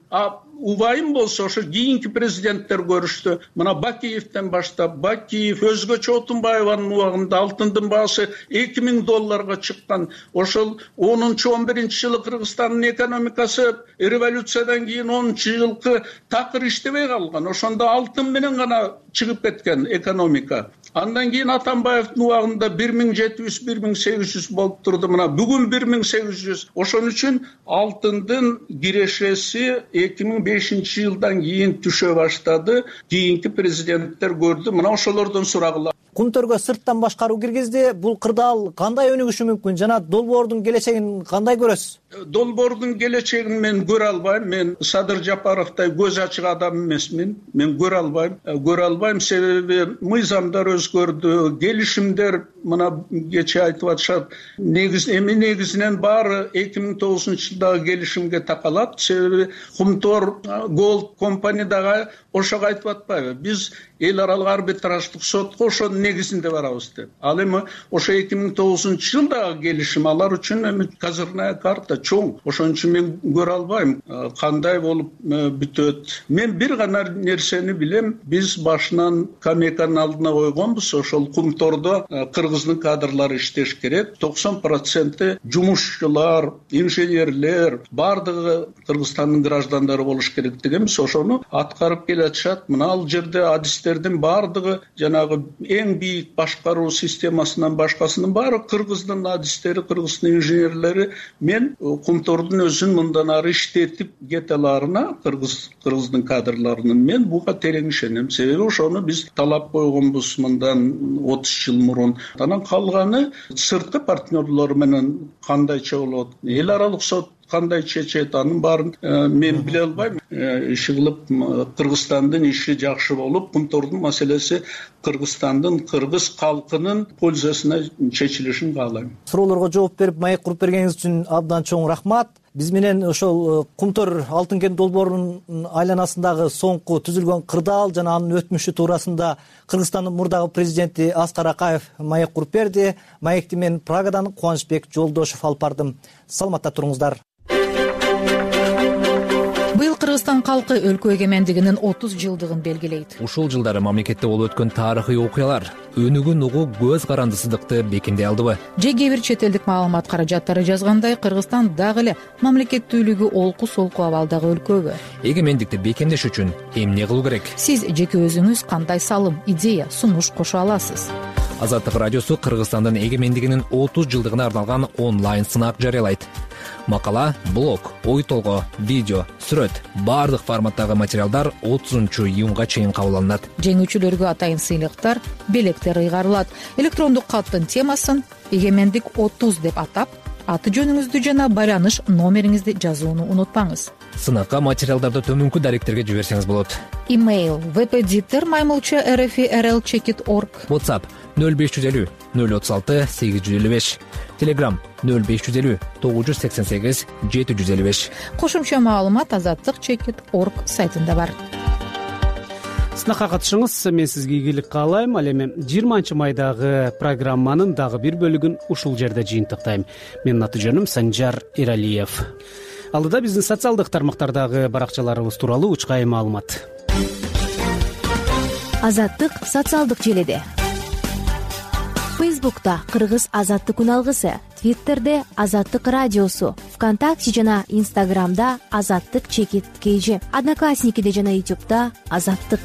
Убайым болсо ошо кийинки президенттер көрүштү. Мына Бакиевден баштап, Бакиев, өзгөчө Отунбаеванын убагында алтындын баасы $2000 чыккан. Ошол 10-11-жылы Кыргызстандын экономикасы революциядан кийин 10-жылкы такыр иштебей калган. Ошондо алтын менен гана чыгып кеткен экономика. Андан кийин Атамбаевдин убагында 1700-1800 болуп турду. Мына бүгүн 1800. Ошон үчүн алтындын кирешеси 2005-жылдан кийин түшө баштады. Кийинки президенттер көрдү. Мына ошолордон сурагыла. Кумтөргө сырттан башкаруу киргизди. Бул кырдаал кандай өнүгүшү мүмкүн? Жана долбоордун келечегин кандай көрөсүз? Долбоордун келечегин мен көрө албайм. Мен Садыр Жапаровдай көз ачык адам эмесмин. Мен көрө албайм. Себеби мыйзамдар өзгөрдү, келишимдер мына кече айтып атышат. Негизинен баары 2009-жылдагы келишимге такалат. Себеби Кумтор Gold компаниядагы ошого айтып атпайбы? Биз эл аралык арбитраждык сотко ошонун негизинде барабыз деп. Ал эми ошо 2009-жылдагы келишим алар үчүн эми козырная карта чоң. Ошон үчүн мен көрө албайм кандай болуп бүтөт. Мен бир гана нерсени билем. Биз башынан Камеканын алдына койгонбуз. Ошол Кумтордо кыргыздын кадрлары иштеш керек. 90% жумушчулар, инженерлер, бардыгы Кыргызстандын граждандары болуш керек дегенбиз. Ошону аткарып келе атышат. Мына ал жерде адистердин бардыгы жанагы эң бийик башкаруу системасынан башкасынын баары кыргыздын адистери, кыргыздын инженерлери. Мен Кумтордун өзүн мындан ары иштетип кете аларына, кыргыздын кадрларынын мен буга терең ишенем. Себеби ошону биз талап койгонбуз мындан 30 жыл мурун. Анан калганы сырткы партнерлор менен кандайча болот? Эл аралык сот кандай чечет, анын баарын мен биле албайм. Иши кылып Кыргызстандын иши жакшы болуп, Кумтордун маселеси Кыргызстандын, кыргыз калкынын пользасына чечилишин каалайм. Суроолорго жооп берип, маек куруп бергениңиз үчүн абдан чоң рахмат. Биз менен ошол Кумтөр алтын кен долбоорунун айланасындагы соңку түзүлгөн кырдаал жана анын өтмүшү туурасында Кыргызстандын мурдагы президенти Аскар Акаев маек куруп берди. Маекти мен Прагадан Кубанычбек Жолдошов алып бардым. Саламатта туруңуздар. Быйыл Кыргызстан калкы өлкө эгемендигинин 30 жылдыгын белгилейт. Ушул жылдары мамлекетте болуп өткөн тарыхый окуялар өнүгүн угуу көз карандысыздыкты бекемдей алдыбы? Же кээ бир чет элдик маалымат каражаттары жазгандай, Кыргызстан дагы эле мамлекеттүүлүгү олку солку абалдагы өлкөбү? Эгемендикти бекемдеш үчүн эмне кылуу керек? Сиз жеке өзүңүз кандай салым, идея, сунуш кошо аласыз? Азаттык радиосу Кыргызстандын эгемендигинин 30 жылдыгына арналган онлайн сынак жарыялайт. Макала, блог, ой толгоо, видео, сүрөт, баардык форматтагы материалдар 30-июнга чейин кабыл алынат. Жеңүүчүлөргө атайын сыйлыктар, белектер ыйгарылат. Электрондук каттын темасын «Эгемендик 30» деп атап, аты жөнүңүздү жана байланыш номериңизди жазууну унутпаңыз. Сынакка материалдарды төмөнкү даректерге жиберсеңиз болот. Имейл vpditter@rl.org. WhatsApp 0550 036 855. Telegram 0550 988 755. Кошумча маалымат азаттык.org сайтында бар. Сынакка катышыңыз, мен сизге ийгилик каалайм. Ал эми 20 майдагы программанын дагы бир бөлүгүн ушул жерде жыйынтыктайм. Менин аты жөнүм Санжар Эралиев. Алдыда биздин социалдык тармактардагы баракчаларыбыз тууралуу учкай маалымат. Азаттык социалдык желеде. Фейсбукта Кыргыз азаттык күн алгысы, Твиттерде Азаттык радиосу, ВКонтакте жана Инстаграмда Азаттык чекит KG, Одноклассникиде жана Ютубта Азаттык.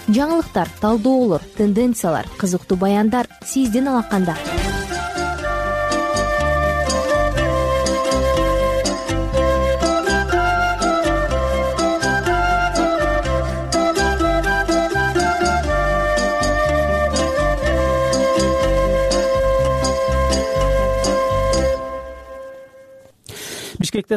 Жаңылыктар, талдоолор, тенденциялар, кызыктуу баяндар сиздин алаканда.